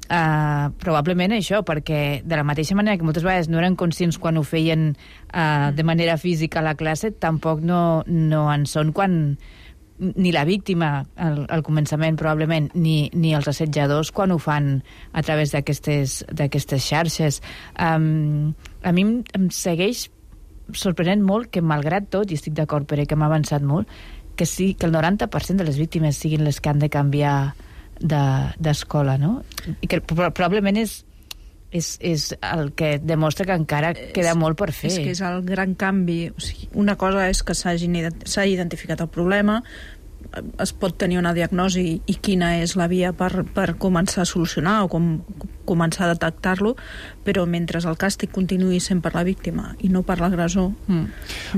Uh, probablement això, perquè de la mateixa manera que moltes vegades no eren conscients quan ho feien uh, de manera física a la classe, tampoc no, no en són quan ni la víctima al, al començament probablement, ni, ni els assetjadors quan ho fan a través d'aquestes d'aquestes xarxes. Um, a mi em, em segueix sorprenent molt que, malgrat tot, i estic d'acord, Pere, que m'ha avançat molt, que sí, que el noranta per cent de les víctimes siguin les que han de canviar d'escola, de, no? I que probablement és És, és el que demostra que encara queda és, molt per fer. És que és el gran canvi. O sigui, una cosa és que s'ha identificat el problema, es pot tenir una diagnosi i quina és la via per, per començar a solucionar o com, començar a detectar-lo, però mentre el càstig continuï sent per la víctima i no per l'agressor, mm.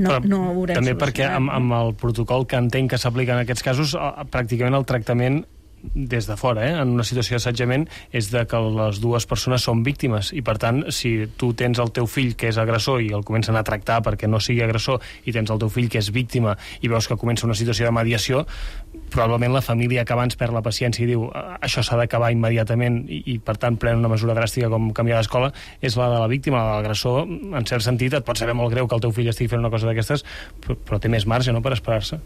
no, no ho veurem també perquè amb, amb el protocol que entenc que s'aplica en aquests casos, pràcticament el tractament des de fora, eh, en una situació d'assetjament, és de que les dues persones són víctimes, i per tant, si tu tens el teu fill que és agressor i el comencen a tractar perquè no sigui agressor, i tens el teu fill que és víctima i veus que comença una situació de mediació, probablement la família que abans perd la paciència i diu això s'ha d'acabar immediatament, i, i per tant pren una mesura dràstica com canviar d'escola, és la de la víctima. L'agressor, en cert sentit, et pot saber molt greu que el teu fill estigui fent una cosa d'aquestes, però, però té més marge, no?, per esperar-se.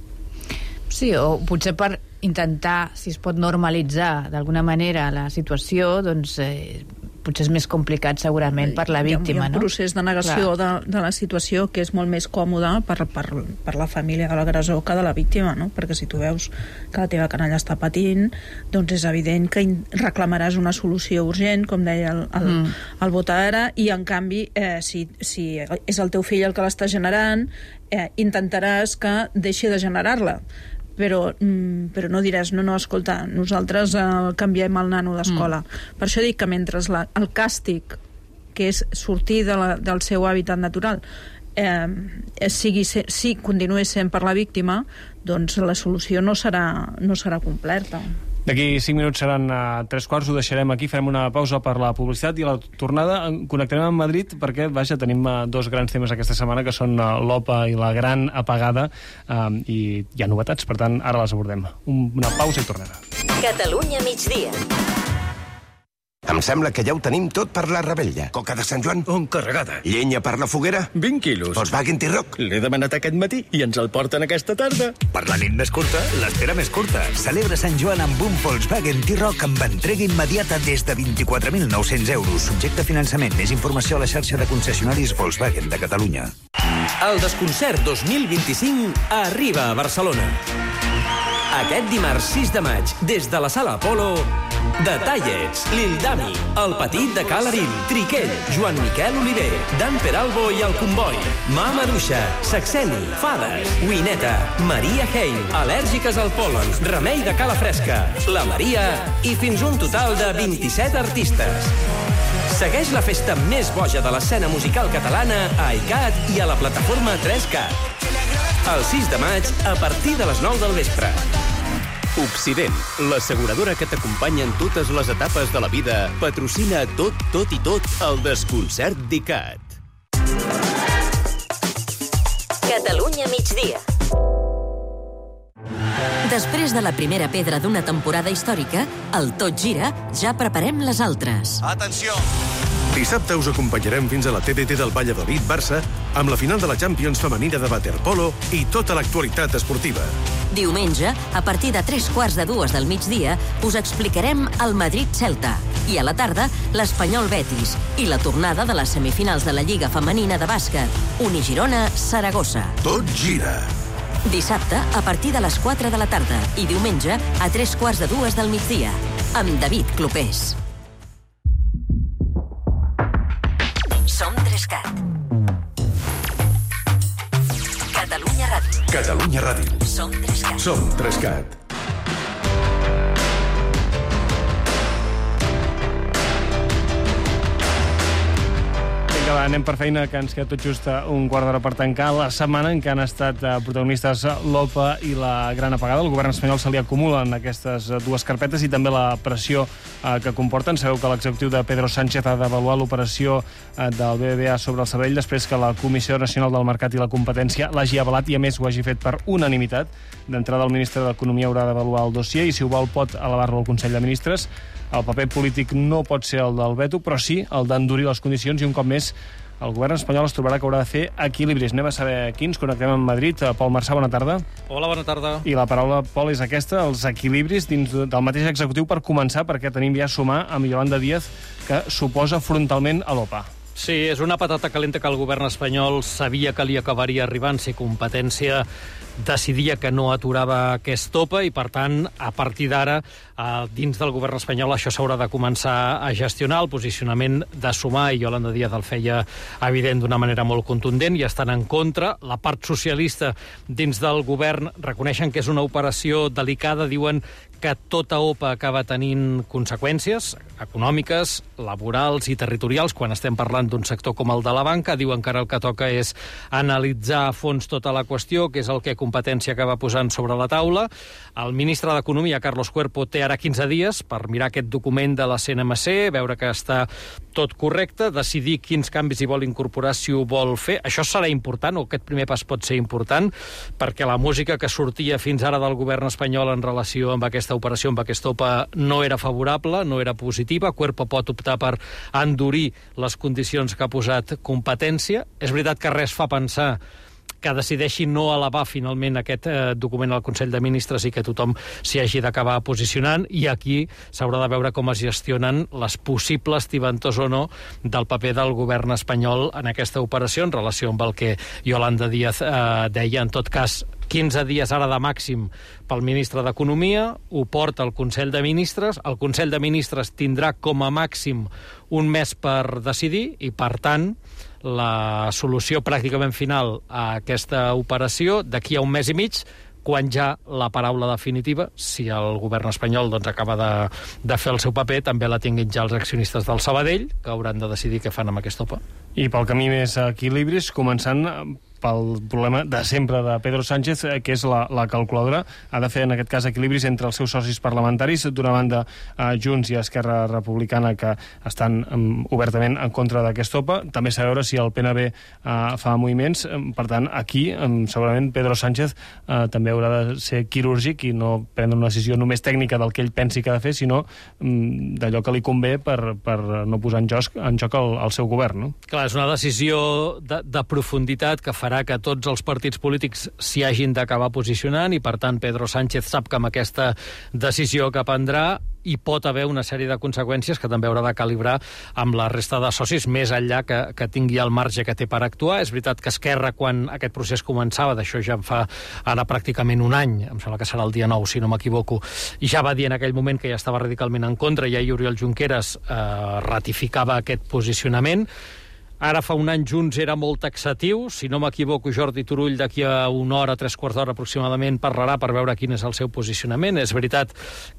Sí, o potser per intentar, si es pot normalitzar d'alguna manera la situació, doncs eh, potser és més complicat segurament per la víctima, no? Hi ha un procés de negació de, de la situació que és molt més còmode per, per, per la família de l'agressor que de la víctima, no? Perquè si tu veus que la teva canalla està patint, doncs és evident que reclamaràs una solució urgent, com deia el, el, mm. el vot ara, i en canvi, eh, si, si és el teu fill el que l'està generant, eh, intentaràs que deixi de generar-la. Però, mm, però no diràs, no, no, escolta, nosaltres eh, canviem el nano d'escola. Mm. Per això dic que mentre la, el càstig, que és sortir de la, del seu hàbitat natural, eh, sigui, si continuï sent per la víctima, doncs la solució no serà, no serà completa. D'aquí cinc minuts seran a tres quarts, ho deixarem aquí, farem una pausa per la publicitat i a la tornada connectarem amb Madrid perquè, vaja, tenim dos grans temes aquesta setmana que són l'OPA i la gran apagada eh, i hi ha novetats, per tant, ara les abordem. Una pausa i tornem. Catalunya migdia. Em sembla que ja ho tenim tot per la rebella. Coca de Sant Joan? On carregada. Llenya per la foguera? vint quilos. Volkswagen T-Roc? L'he demanat aquest matí i ens el porten aquesta tarda. Per la nit més curta, l'espera més curta. Celebra Sant Joan amb un Volkswagen T-Roc amb entrega immediata des de vint-i-quatre mil nou-cents euros. Subjecte a finançament. Més informació a la xarxa de concessionaris Volkswagen de Catalunya. El Desconcert dos mil vint-i-cinc arriba a Barcelona. Aquest dimarts sis de maig, des de la Sala Apolo, The Tallets, Lil Dami, El Petit de Ca l'Arín, Triquell, Joan Miquel Oliver, Dan Peralbo i El Comboi, Mama Duixa, Saxeni, Fades, Wineta, Maria Hein, Al·lèrgiques al pol·len, Remei de Cala Fresca, La Maria i fins un total de vint-i-set artistes. Segueix la festa més boja de l'escena musical catalana a iCat i a la plataforma tres cat. El sis de maig, a partir de les nou del vespre. Obsident, l'asseguradora que t'acompanya en totes les etapes de la vida, patrocina tot, tot i tot el Desconcert d'ICAT. Catalunya migdia. Després de la primera pedra d'una temporada històrica, el Tot Gira, ja preparem les altres. Atenció! Dissabte us acompanyarem fins a la T D T del Valladolid-Barça amb la final de la Champions femenina de waterpolo i tota l'actualitat esportiva. Diumenge, a partir de tres quarts de dues del migdia, us explicarem el Madrid-Celta i a la tarda l'Espanyol-Betis i la tornada de les semifinals de la Lliga Femenina de Bàsquet, Unigirona-Saragossa. Tot gira! Dissabte, a partir de les quatre de la tarda i diumenge, a tres quarts de dues del migdia, amb David Clopés. Som tres cat. Catalunya Ràdio. Catalunya Ràdio. Som tres cat. Som tres cat. Vinga, va, anem per feina, que ens queda tot just un quart d'hora per tancar la setmana en què han estat protagonistes l'OPA i la gran apagada. El govern espanyol se li acumulen aquestes dues carpetes i també la pressió que comporten. Sabeu que l'executiu de Pedro Sánchez ha d'avaluar l'operació del B B V A sobre el Sabadell després que la Comissió Nacional del Mercat i la Competència l'hagi avalat i, a més, ho hagi fet per unanimitat. D'entrada, el ministre d'Economia haurà d'avaluar el dossier i, si ho vol, pot elevar-lo al Consell de Ministres. El paper polític no pot ser el del veto, però sí el d'endurir les condicions i, un cop més, el govern espanyol es trobarà que haurà de fer equilibris. Anem a saber quins. Connectem amb Madrid. Pol Marçà, bona tarda. Hola, bona tarda. I la paraula, Pol, és aquesta, els equilibris dins del mateix executiu per començar, perquè tenim ja a sumar amb Yolanda Díaz, que s'oposa frontalment a l'OPA. Sí, és una patata calenta que el govern espanyol sabia que li acabaria arribant si competència decidia que no aturava aquest OPA i, per tant, a partir d'ara, dins del govern espanyol això s'haurà de començar a gestionar. El posicionament de sumar, i Yolanda Díaz el feia evident d'una manera molt contundent, i estan en contra. La part socialista dins del govern reconeixen que és una operació delicada, diuen que tota OPA acaba tenint conseqüències econòmiques, laborals i territorials quan estem parlant d'un sector com el de la banca. Diuen que ara el que toca és analitzar a fons tota la qüestió, que és el que competència acaba posant sobre la taula. El ministre d'Economia, Carlos Cuerpo, té ara quinze dies per mirar aquest document de la C N M C, veure que està tot correcte, decidir quins canvis hi vol incorporar, si ho vol fer. Això serà important, o aquest primer pas pot ser important, perquè la música que sortia fins ara del govern espanyol en relació amb aquesta operació, amb aquesta OPA, no era favorable, no era positiva. Cuerpo pot optar per endurir les condicions que ha posat competència. És veritat que res fa pensar que decideixi no elevar finalment aquest eh, document al Consell de Ministres i que tothom s'hi hagi d'acabar posicionant, i aquí s'haurà de veure com es gestionen les possibles tibantors o no del paper del govern espanyol en aquesta operació en relació amb el que Yolanda Díaz eh, deia. En tot cas, quinze dies ara de màxim pel ministre d'Economia, ho porta al Consell de Ministres, el Consell de Ministres tindrà com a màxim un mes per decidir i, per tant, la solució pràcticament final a aquesta operació d'aquí a un mes i mig, quan ja la paraula definitiva, si el govern espanyol doncs, acaba de, de fer el seu paper, també la tinguin ja els accionistes del Sabadell, que hauran de decidir què fan amb aquesta OPA. I pel camí més equilibris, començant pel problema de sempre de Pedro Sánchez, que és la, la calculadora. Ha de fer, en aquest cas, equilibris entre els seus socis parlamentaris, d'una banda eh, Junts i Esquerra Republicana, que estan um, obertament en contra d'aquesta O P A. També s'ha de veure si el P N B eh, fa moviments. Per tant, aquí, um, segurament, Pedro Sánchez eh, també haurà de ser quirúrgic i no prendre una decisió només tècnica del que ell pensi que ha de fer, sinó um, d'allò que li convé per, per no posar en joc, en joc el, el seu govern. No? Clar, és una decisió de, de profunditat que farà que tots els partits polítics s'hi hagin d'acabar posicionant i, per tant, Pedro Sánchez sap que amb aquesta decisió que prendrà hi pot haver una sèrie de conseqüències que també haurà de calibrar amb la resta de socis, més enllà que, que tingui el marge que té per actuar. És veritat que Esquerra, quan aquest procés començava, d'això ja en fa ara pràcticament un any, em sembla que serà el dia nou, si no m'equivoco, i ja va dir en aquell moment que ja estava radicalment en contra, i ahir Oriol Junqueras eh, ratificava aquest posicionament. Ara fa un any Junts era molt taxatiu. Si no m'equivoco, Jordi Turull d'aquí a una hora, tres quarts d'hora aproximadament, parlarà per veure quin és el seu posicionament. És veritat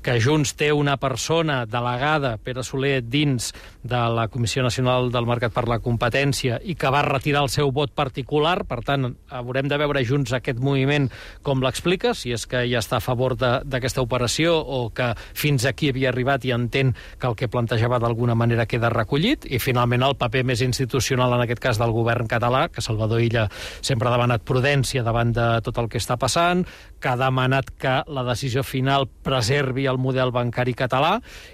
que Junts té una persona delegada, Pere Soler, dins de la Comissió Nacional del Mercat per la Competència i que va retirar el seu vot particular. Per tant, haurem de veure Junts aquest moviment com l'explica, si és que ja està a favor d'aquesta operació o que fins aquí havia arribat i entén que el que plantejava d'alguna manera queda recollit. I finalment el paper més institucional, en aquest cas del govern català, que Salvador Illa sempre ha demanat prudència davant de tot el que està passant, que ha demanat que la decisió final preservi el model bancari català,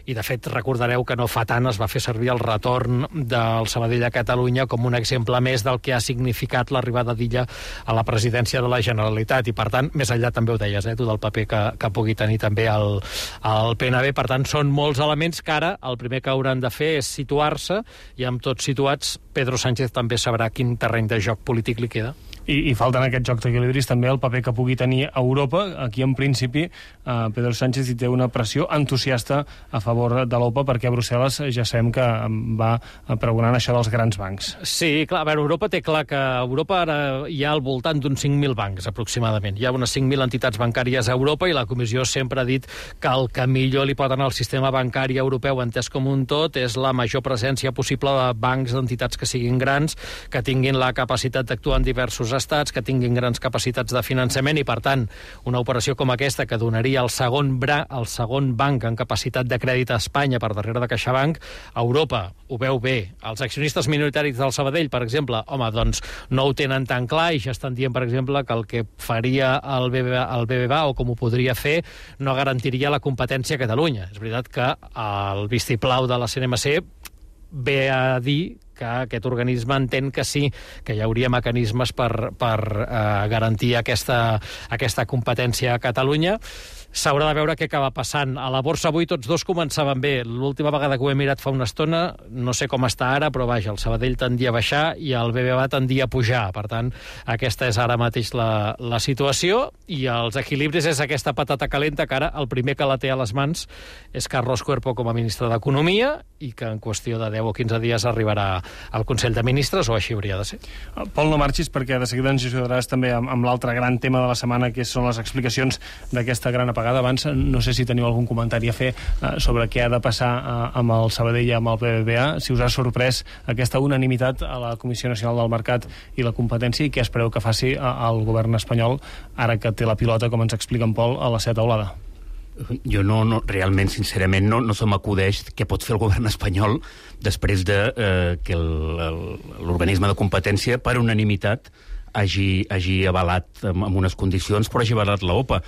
i de fet recordareu que no fa tant es va fer servir el retorn del Sabadell a Catalunya com un exemple més del que ha significat l'arribada d'Illa a la presidència de la Generalitat, i per tant, més enllà també ho deies, eh, tu del paper que, que pugui tenir també el, el P N B. Per tant, són molts elements que ara el primer que hauran de fer és situar-se, i amb tots situats Pedro Sánchez també sabrà quin terreny de joc polític li queda. I, i falta en aquest joc d'equilibris també el paper que pugui tenir Europa. Aquí, en principi, eh, Pedro Sánchez hi té una pressió entusiasta a favor de l'O P A, perquè a Brussel·les ja sabem que va pregonant això dels grans bancs. Sí, clar, a veure, Europa té clar que a Europa ara hi ha al voltant d'uns cinc mil bancs, aproximadament. Hi ha unes cinc mil entitats bancàries a Europa, i la Comissió sempre ha dit que el que millor li pot anar al sistema bancari europeu, entès com un tot, és la major presència possible de bancs, d'entitats que siguin grans, que tinguin la capacitat d'actuar en diversos estats, que tinguin grans capacitats de finançament, i per tant una operació com aquesta, que donaria el segon, bra, el segon banc en capacitat de crèdit a Espanya per darrere de CaixaBank, Europa ho veu bé. Els accionistes minoritaris del Sabadell, per exemple, home, doncs no ho tenen tan clar, i ja estan dient, per exemple, que el que faria el B B V A, el B B V A o com ho podria fer, no garantiria la competència a Catalunya. És veritat que el vistiplau de la C N M C ve a dir que aquest organisme entén que sí, que hi hauria mecanismes per, per eh, garantir aquesta, aquesta competència a Catalunya. S'haurà de veure què acaba passant. A la borsa avui tots dos començaven bé. L'última vegada que ho he mirat fa una estona, no sé com està ara, però vaja, el Sabadell tendia a baixar i el B B V A tendia a pujar. Per tant, aquesta és ara mateix la, la situació, i els equilibris és aquesta patata calenta que ara el primer que la té a les mans és Carlos Cuerpo com a ministre d'Economia, i que en qüestió de deu o quinze dies arribarà al Consell de Ministres, o així hauria de ser. Pol, no marxis, perquè de seguida ens ajudaràs també amb, amb l'altre gran tema de la setmana, que són les explicacions d'aquesta gran apagada. Abans, no sé si teniu algun comentari a fer eh, sobre què ha de passar eh, amb el Sabadell i amb el B B V A, si us ha sorprès aquesta unanimitat a la Comissió Nacional del Mercat i la Competència, i què espereu que faci el govern espanyol ara que té la pilota, com ens explica en Pol, a la seva taulada. Jo no, no, realment, sincerament, no, no se m'acudeix què pot fer el govern espanyol després de eh, que l'organisme de competència, per unanimitat, hagi, hagi avalat amb, amb unes condicions, però hagi avalat l'O P A.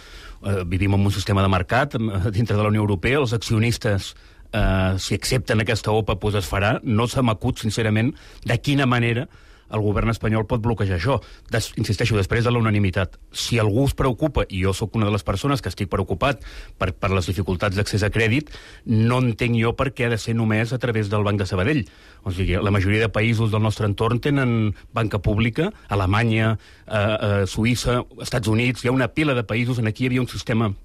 Eh, vivim en un sistema de mercat dintre de la Unió Europea, els accionistes, eh, si accepten aquesta O P A, doncs es farà. No se m'acut, sincerament, de quina manera el govern espanyol pot bloquejar això. Des, insisteixo, després de la unanimitat. Si algú es preocupa, i jo sóc una de les persones que estic preocupat per, per les dificultats d'accés a crèdit, no entenc jo per què ha de ser només a través del Banc de Sabadell. O sigui, la majoria de països del nostre entorn tenen banca pública, Alemanya, eh, eh, Suïssa, Estats Units, hi ha una pila de països, en aquí hi havia un sistema,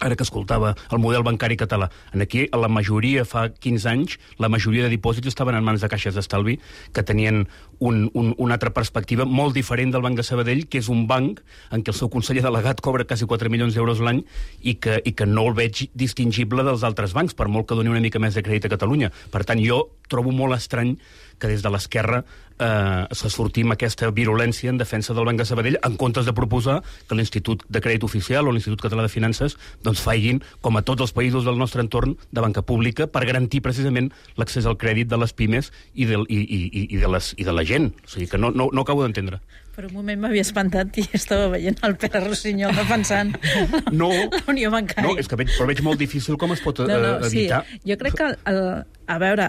ara que escoltava el model bancari català. En aquí, a la majoria, fa quinze anys, la majoria de dipòsits estaven en mans de caixes d'estalvi que tenien un, un, una altra perspectiva molt diferent del Banc de Sabadell, que és un banc en què el seu conseller delegat cobra quasi quatre milions d'euros l'any i que, i que no el veig distingible dels altres bancs, per molt que doni una mica més de crèdit a Catalunya. Per tant, jo trobo molt estrany que des de l'esquerra eh, se sortir amb aquesta virulència en defensa del Banc de Sabadell, en comptes de proposar que l'Institut de Crèdit Oficial o l'Institut Català de Finances doncs facin, com a tots els països del nostre entorn, de banca pública per garantir precisament l'accés al crèdit de les pimes i de, i, i, i de, les, i de la gent. O sigui que no, no, no acabo d'entendre. Per un moment m'havia espantat i estava veient el Pere Rossinyol defensant no, la Unió Bancària. No, és que veig, però veig molt difícil com es pot no, no, uh, evitar. Sí. Jo crec que, el, a veure,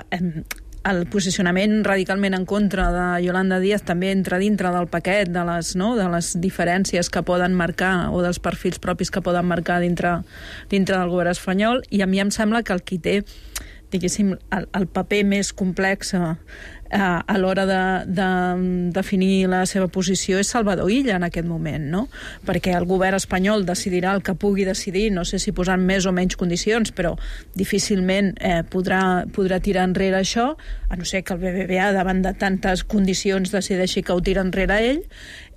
el posicionament radicalment en contra de Yolanda Díaz també entra dintre del paquet de les, no, de les diferències que poden marcar o dels perfils propis que poden marcar dintre, dintre del govern espanyol, i a mi em sembla que el qui té, diguéssim, el, el paper més complex a, a l'hora de, de definir la seva posició és Salvador Illa en aquest moment, no? Perquè el govern espanyol decidirà el que pugui decidir, no sé si posant més o menys condicions, però difícilment eh, podrà, podrà tirar enrere això, a no ser que el B B V A, davant de tantes condicions, decideixi que ho tira enrere ell,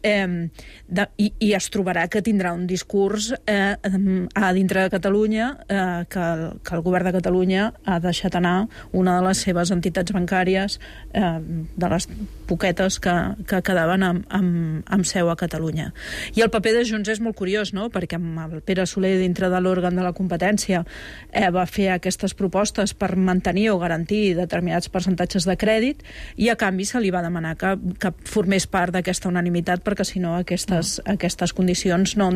eh, de, i, i es trobarà que tindrà un discurs eh, a dintre de Catalunya eh, que, el, que el govern de Catalunya ha deixat anar una de les seves entitats bancàries, eh, de les poquetes que, que quedaven amb, amb, amb seu a Catalunya. I el paper de Junts és molt curiós, no? Perquè amb el Pere Soler, dintre de l'òrgan de la competència, eh, va fer aquestes propostes per mantenir o garantir determinats percentatges de crèdit, i a canvi se li va demanar que, que formés part d'aquesta unanimitat, perquè si no aquestes, no. aquestes condicions no,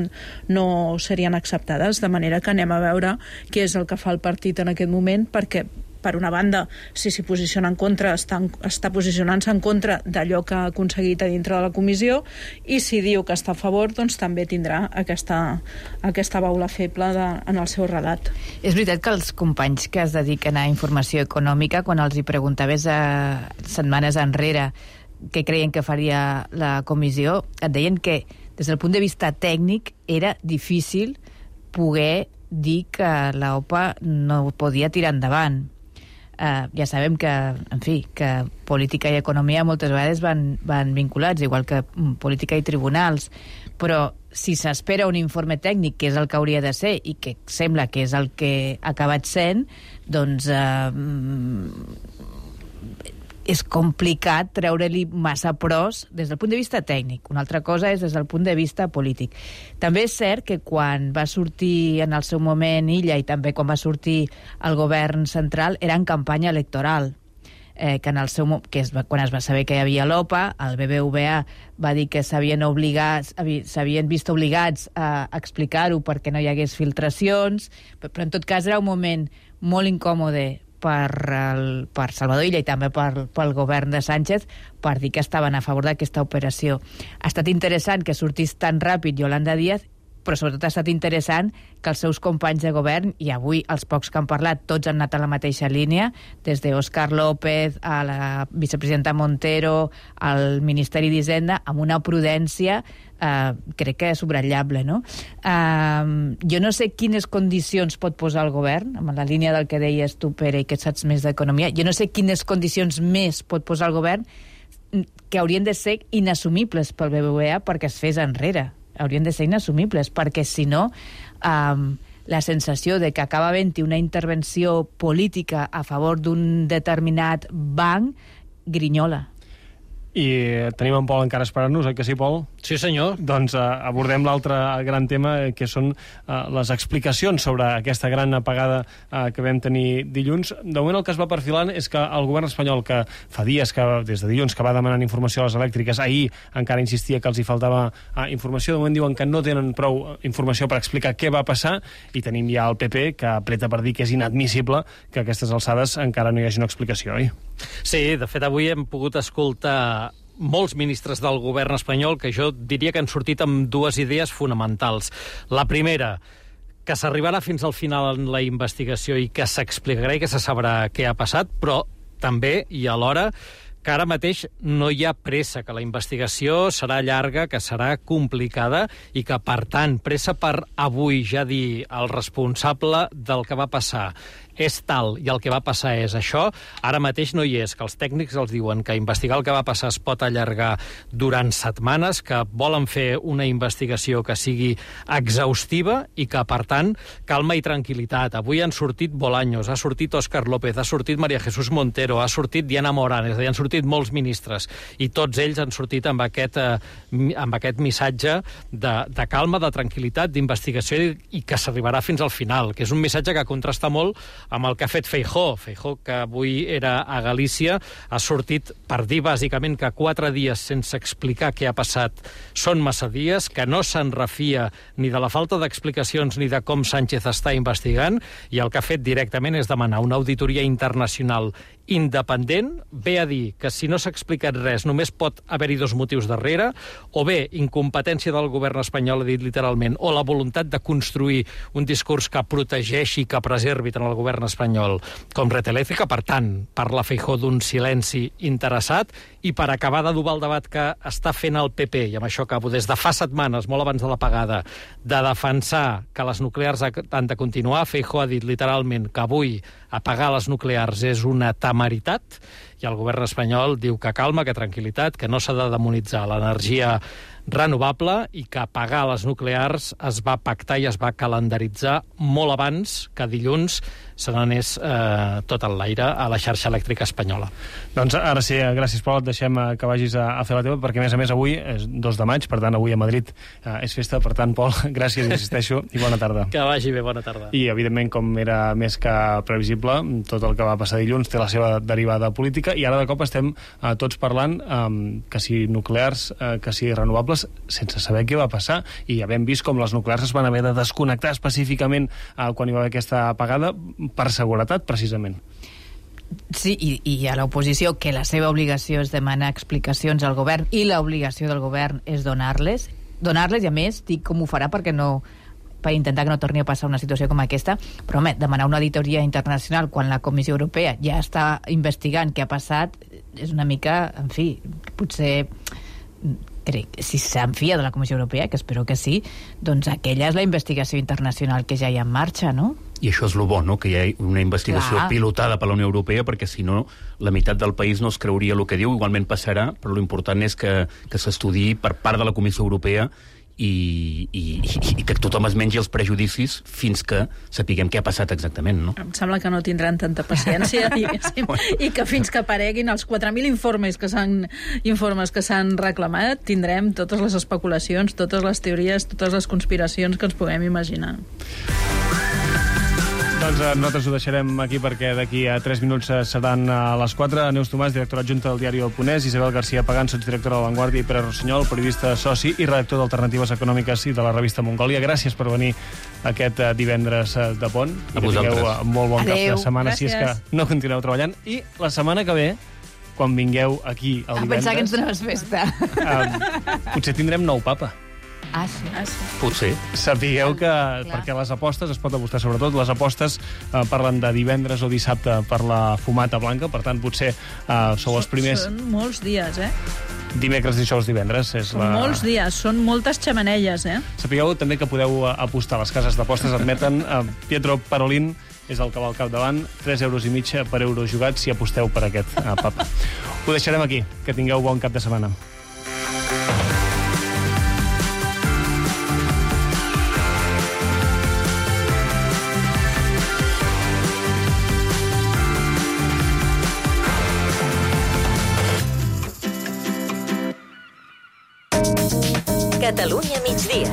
no serien acceptades, de manera que anem a veure què és el que fa el partit en aquest moment, perquè per una banda, si s'hi posiciona en contra, està, està posicionant-se en contra d'allò que ha aconseguit a dintre de la comissió, i si diu que està a favor, doncs també tindrà aquesta, aquesta baula feble de, en el seu relat. És veritat que els companys que es dediquen a informació econòmica, quan els hi preguntaves a setmanes enrere què creien que faria la comissió, et deien que des del punt de vista tècnic era difícil poder dir que l'OPA no podia tirar endavant. Uh, ja sabem que, en fi, que política i economia moltes vegades van, van vinculats, igual que um, política i tribunals, però si s'espera un informe tècnic, que és el que hauria de ser i que sembla que és el que ha acabat sent, doncs uh, és complicat treure-li massa pros des del punt de vista tècnic. Una altra cosa és des del punt de vista polític. També és cert que quan va sortir en el seu moment Illa i també quan va sortir el govern central era en campanya electoral. Eh, que en el seu, que es va, quan es va saber que hi havia l'OPA, el B B V A va dir que s'havien obligats, s'havien vist obligats a explicar-ho perquè no hi hagués filtracions, però en tot cas era un moment molt incòmode per, el, per Salvador Illa i també per, pel govern de Sánchez per dir que estaven a favor d'aquesta operació. Ha estat interessant que sortís tan ràpid Yolanda Díaz, però sobretot ha estat interessant que els seus companys de govern, i avui els pocs que han parlat, tots han anat a la mateixa línia, des d'Òscar López a la vicepresidenta Montero, al Ministeri d'Hisenda, amb una prudència eh, crec que és subratllable, no? Eh, jo no sé quines condicions pot posar el govern, amb la línia del que deies tu, Pere, i que saps més d'economia, jo no sé quines condicions més pot posar el govern que haurien de ser inassumibles pel B B V A perquè es fes enrere. Haurien de ser inassumibles, perquè si no um, la sensació de que acaba havent-hi una intervenció política a favor d'un determinat banc grinyola. I tenim en Pol encara esperant-nos, oi que sí, Pol? Sí, senyor. Doncs uh, abordem l'altre gran tema, que són uh, les explicacions sobre aquesta gran apagada uh, que vam tenir dilluns. De moment el que es va perfilant és que el govern espanyol, que fa dies, que des de dilluns, que va demanant informació a les elèctriques, ahir encara insistia que els hi faltava uh, informació, de moment diuen que no tenen prou informació per explicar què va passar, i tenim ja el P P que apreta per dir que és inadmissible que a aquestes alçades encara no hi hagi una explicació, oi? Sí, de fet avui hem pogut escoltar molts ministres del govern espanyol que jo diria que han sortit amb dues idees fonamentals. La primera, que s'arribarà fins al final en la investigació i que s'explicarà i que se sabrà què ha passat, però també i alhora que ara mateix no hi ha pressa, que la investigació serà llarga, que serà complicada i que, per tant, pressa per avui ja dir el responsable del que va passar és tal i el que va passar és això, ara mateix no hi és, que els tècnics els diuen que investigar el que va passar es pot allargar durant setmanes, que volen fer una investigació que sigui exhaustiva i que, per tant, calma i tranquil·litat. Avui han sortit Bolaños, ha sortit Óscar López, ha sortit María Jesús Montero, ha sortit Diana Morán, és a dir, han sortit molts ministres, i tots ells han sortit amb aquest, eh, amb aquest missatge de, de calma, de tranquil·litat, d'investigació i, i que s'arribarà fins al final, que és un missatge que contrasta molt amb el que ha fet Feijóo. Feijóo, que avui era a Galícia, ha sortit per dir bàsicament que quatre dies sense explicar què ha passat són massa dies, que no se'n refia ni de la falta d'explicacions ni de com Sánchez està investigant, i el que ha fet directament és demanar una auditoria internacional independent, ve a dir que si no s'ha explicat res només pot haver-hi dos motius darrere, o bé incompetència del govern espanyol, ha dit literalment, o la voluntat de construir un discurs que protegeixi, que preservi tant el govern espanyol com Red Eléctrica. Per tant, parla Feijóo d'un silenci interessat, i per acabar d'adobar el debat que està fent el P P, i amb això acabo, des de fa setmanes, molt abans de l'apagada, de defensar que les nuclears han de continuar, Feijóo ha dit literalment que avui apagar les nuclears és una temeritat, i el govern espanyol diu que calma, que tranquil·litat, que no s'ha de demonitzar l'energia renovable i que apagar les nuclears es va pactar i es va calendaritzar molt abans que dilluns se n'anés eh, tot en l'aire a la xarxa elèctrica espanyola. Doncs ara sí, gràcies, Pol, et deixem que vagis a, a fer la teva, perquè a més a més avui és dos de maig, per tant avui a Madrid eh, és festa, per tant, Pol, gràcies, insisteixo, i bona tarda. Que vagi bé, bona tarda. I, evidentment, com era més que previsible, tot el que va passar dilluns té la seva derivada política, i ara de cop estem eh, tots parlant eh, que si nuclears, eh, que si renovables, sense saber què va passar, i ja hem vist com les nuclears es van haver de desconnectar específicament eh, quan hi va haver aquesta apagada, per seguretat, precisament. Sí, i, i a l'oposició, que la seva obligació és demanar explicacions al govern, i l'obligació del govern és donar-les, donar-les, i a més, dic com ho farà perquè no, per intentar que no torni a passar una situació com aquesta, però home, demanar una auditoria internacional quan la Comissió Europea ja està investigant què ha passat, és una mica, en fi, potser crec, si s'enfia de la Comissió Europea, que espero que sí, doncs aquella és la investigació internacional que ja hi ha en marxa, no? I això és el bo, no?, que hi ha una investigació Clar. pilotada per la Unió Europea, perquè si no, la meitat del país no es creuria el que diu, igualment passarà, però l'important és que, que s'estudiï per part de la Comissió Europea i, i, i que tothom es mengi els prejudicis fins que sapiguem què ha passat exactament, no? Em sembla que no tindran tanta paciència diguéssim, i que fins que apareguin els quatre mil informes que s'han informes que s'han reclamat, tindrem totes les especulacions, totes les teories, totes les conspiracions que ens puguem imaginar. Doncs eh, nosaltres ho deixarem aquí perquè d'aquí a tres minuts seran a les quatre. Neus Tomàs, directora adjunta del diari El Ponès, Isabel García Pagán, sotsdirectora de La Vanguardia, i Pere Rossinyol, periodista soci i redactor d'Alternatives Econòmiques i de la revista Mongòlia. Gràcies per venir aquest eh, divendres eh, de pont. A I que vosaltres. tingueu eh, molt bon Adeu. cap de setmana, Gràcies. si és que no continueu treballant. I la setmana que ve, quan vingueu aquí el A divendres... pensar que ens donaves festa. Eh, potser tindrem nou papa. Ah, sí. Ah, sí. Potser. Sapigueu que, perquè les apostes, es pot apostar sobretot, les apostes eh, parlen de divendres o dissabte per la fumata blanca, per tant potser eh, sou els primers... Són molts dies, eh? Dimecres, dijous, divendres. És Són la... molts dies, són moltes xemeneies, eh? Sapigueu també que podeu eh, apostar. Les cases d'apostes admeten eh, Pietro Parolin és el que va al capdavant, tres euros i mig per euro jugat si aposteu per aquest eh, papa. Ho deixarem aquí. Que tingueu bon cap de setmana. Catalunya migdia.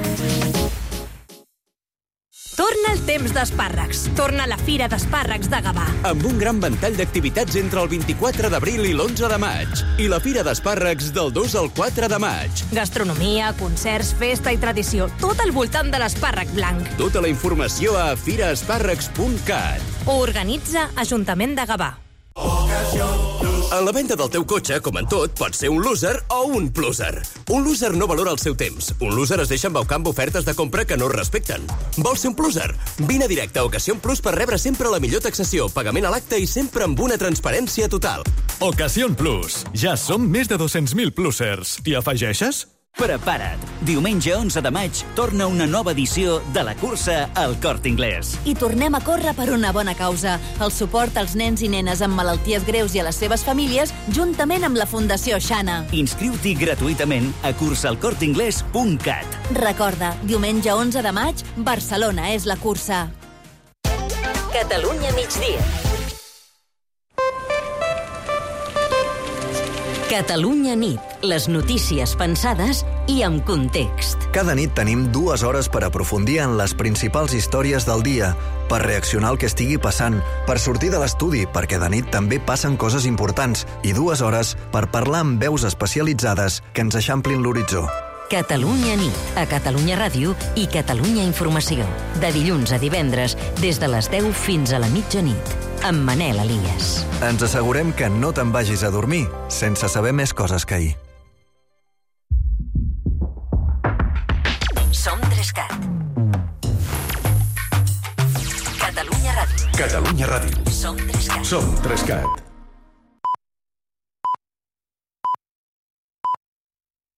Torna el temps d'espàrrecs. Torna la Fira d'Espàrrecs de Gavà. Amb un gran ventall d'activitats entre el vint-i-quatre d'abril i l'onze de maig. I la Fira d'Espàrrecs del dos al quatre de maig. Gastronomia, concerts, festa i tradició. Tot al voltant de l'espàrrec blanc. Tota la informació a fira espàrrecs punt cat. Ho organitza Ajuntament de Gavà. En la venda del teu cotxe, com en tot, pots ser un loser o un pluser. Un loser no valora el seu temps. Un loser es deixa embaucar amb ofertes de compra que no respecten. Vols ser un pluser? Vine a directe a Ocasión Plus per rebre sempre la millor taxació, pagament a l'acte i sempre amb una transparència total. Ocasión Plus. Ja som més de dos-cents mil plusers. T'hi afegeixes? Prepara't! Diumenge onze de maig torna una nova edició de la cursa al Corte Inglés. I tornem a córrer per una bona causa. El suport als nens i nenes amb malalties greus i a les seves famílies, juntament amb la Fundació Xana. Inscriu-t'hi gratuïtament a cursa al corte inglés punt cat. Recorda, diumenge onze de maig, Barcelona és la cursa. Catalunya migdia. Catalunya nit. Les notícies pensades i amb context. Cada nit tenim dues hores per aprofundir en les principals històries del dia, per reaccionar al que estigui passant, per sortir de l'estudi, perquè de nit també passen coses importants, i dues hores per parlar amb veus especialitzades que ens eixamplin l'horitzó. Catalunya nit, a Catalunya Ràdio i Catalunya Informació. De dilluns a divendres, des de les deu fins a la mitjanit, amb Manel Elias. Ens assegurem que no te'n vagis a dormir sense saber més coses que ahir. Som Trescat. Catalunya Ràdio. Catalunya Ràdio. Som Trescat. Som Trescat.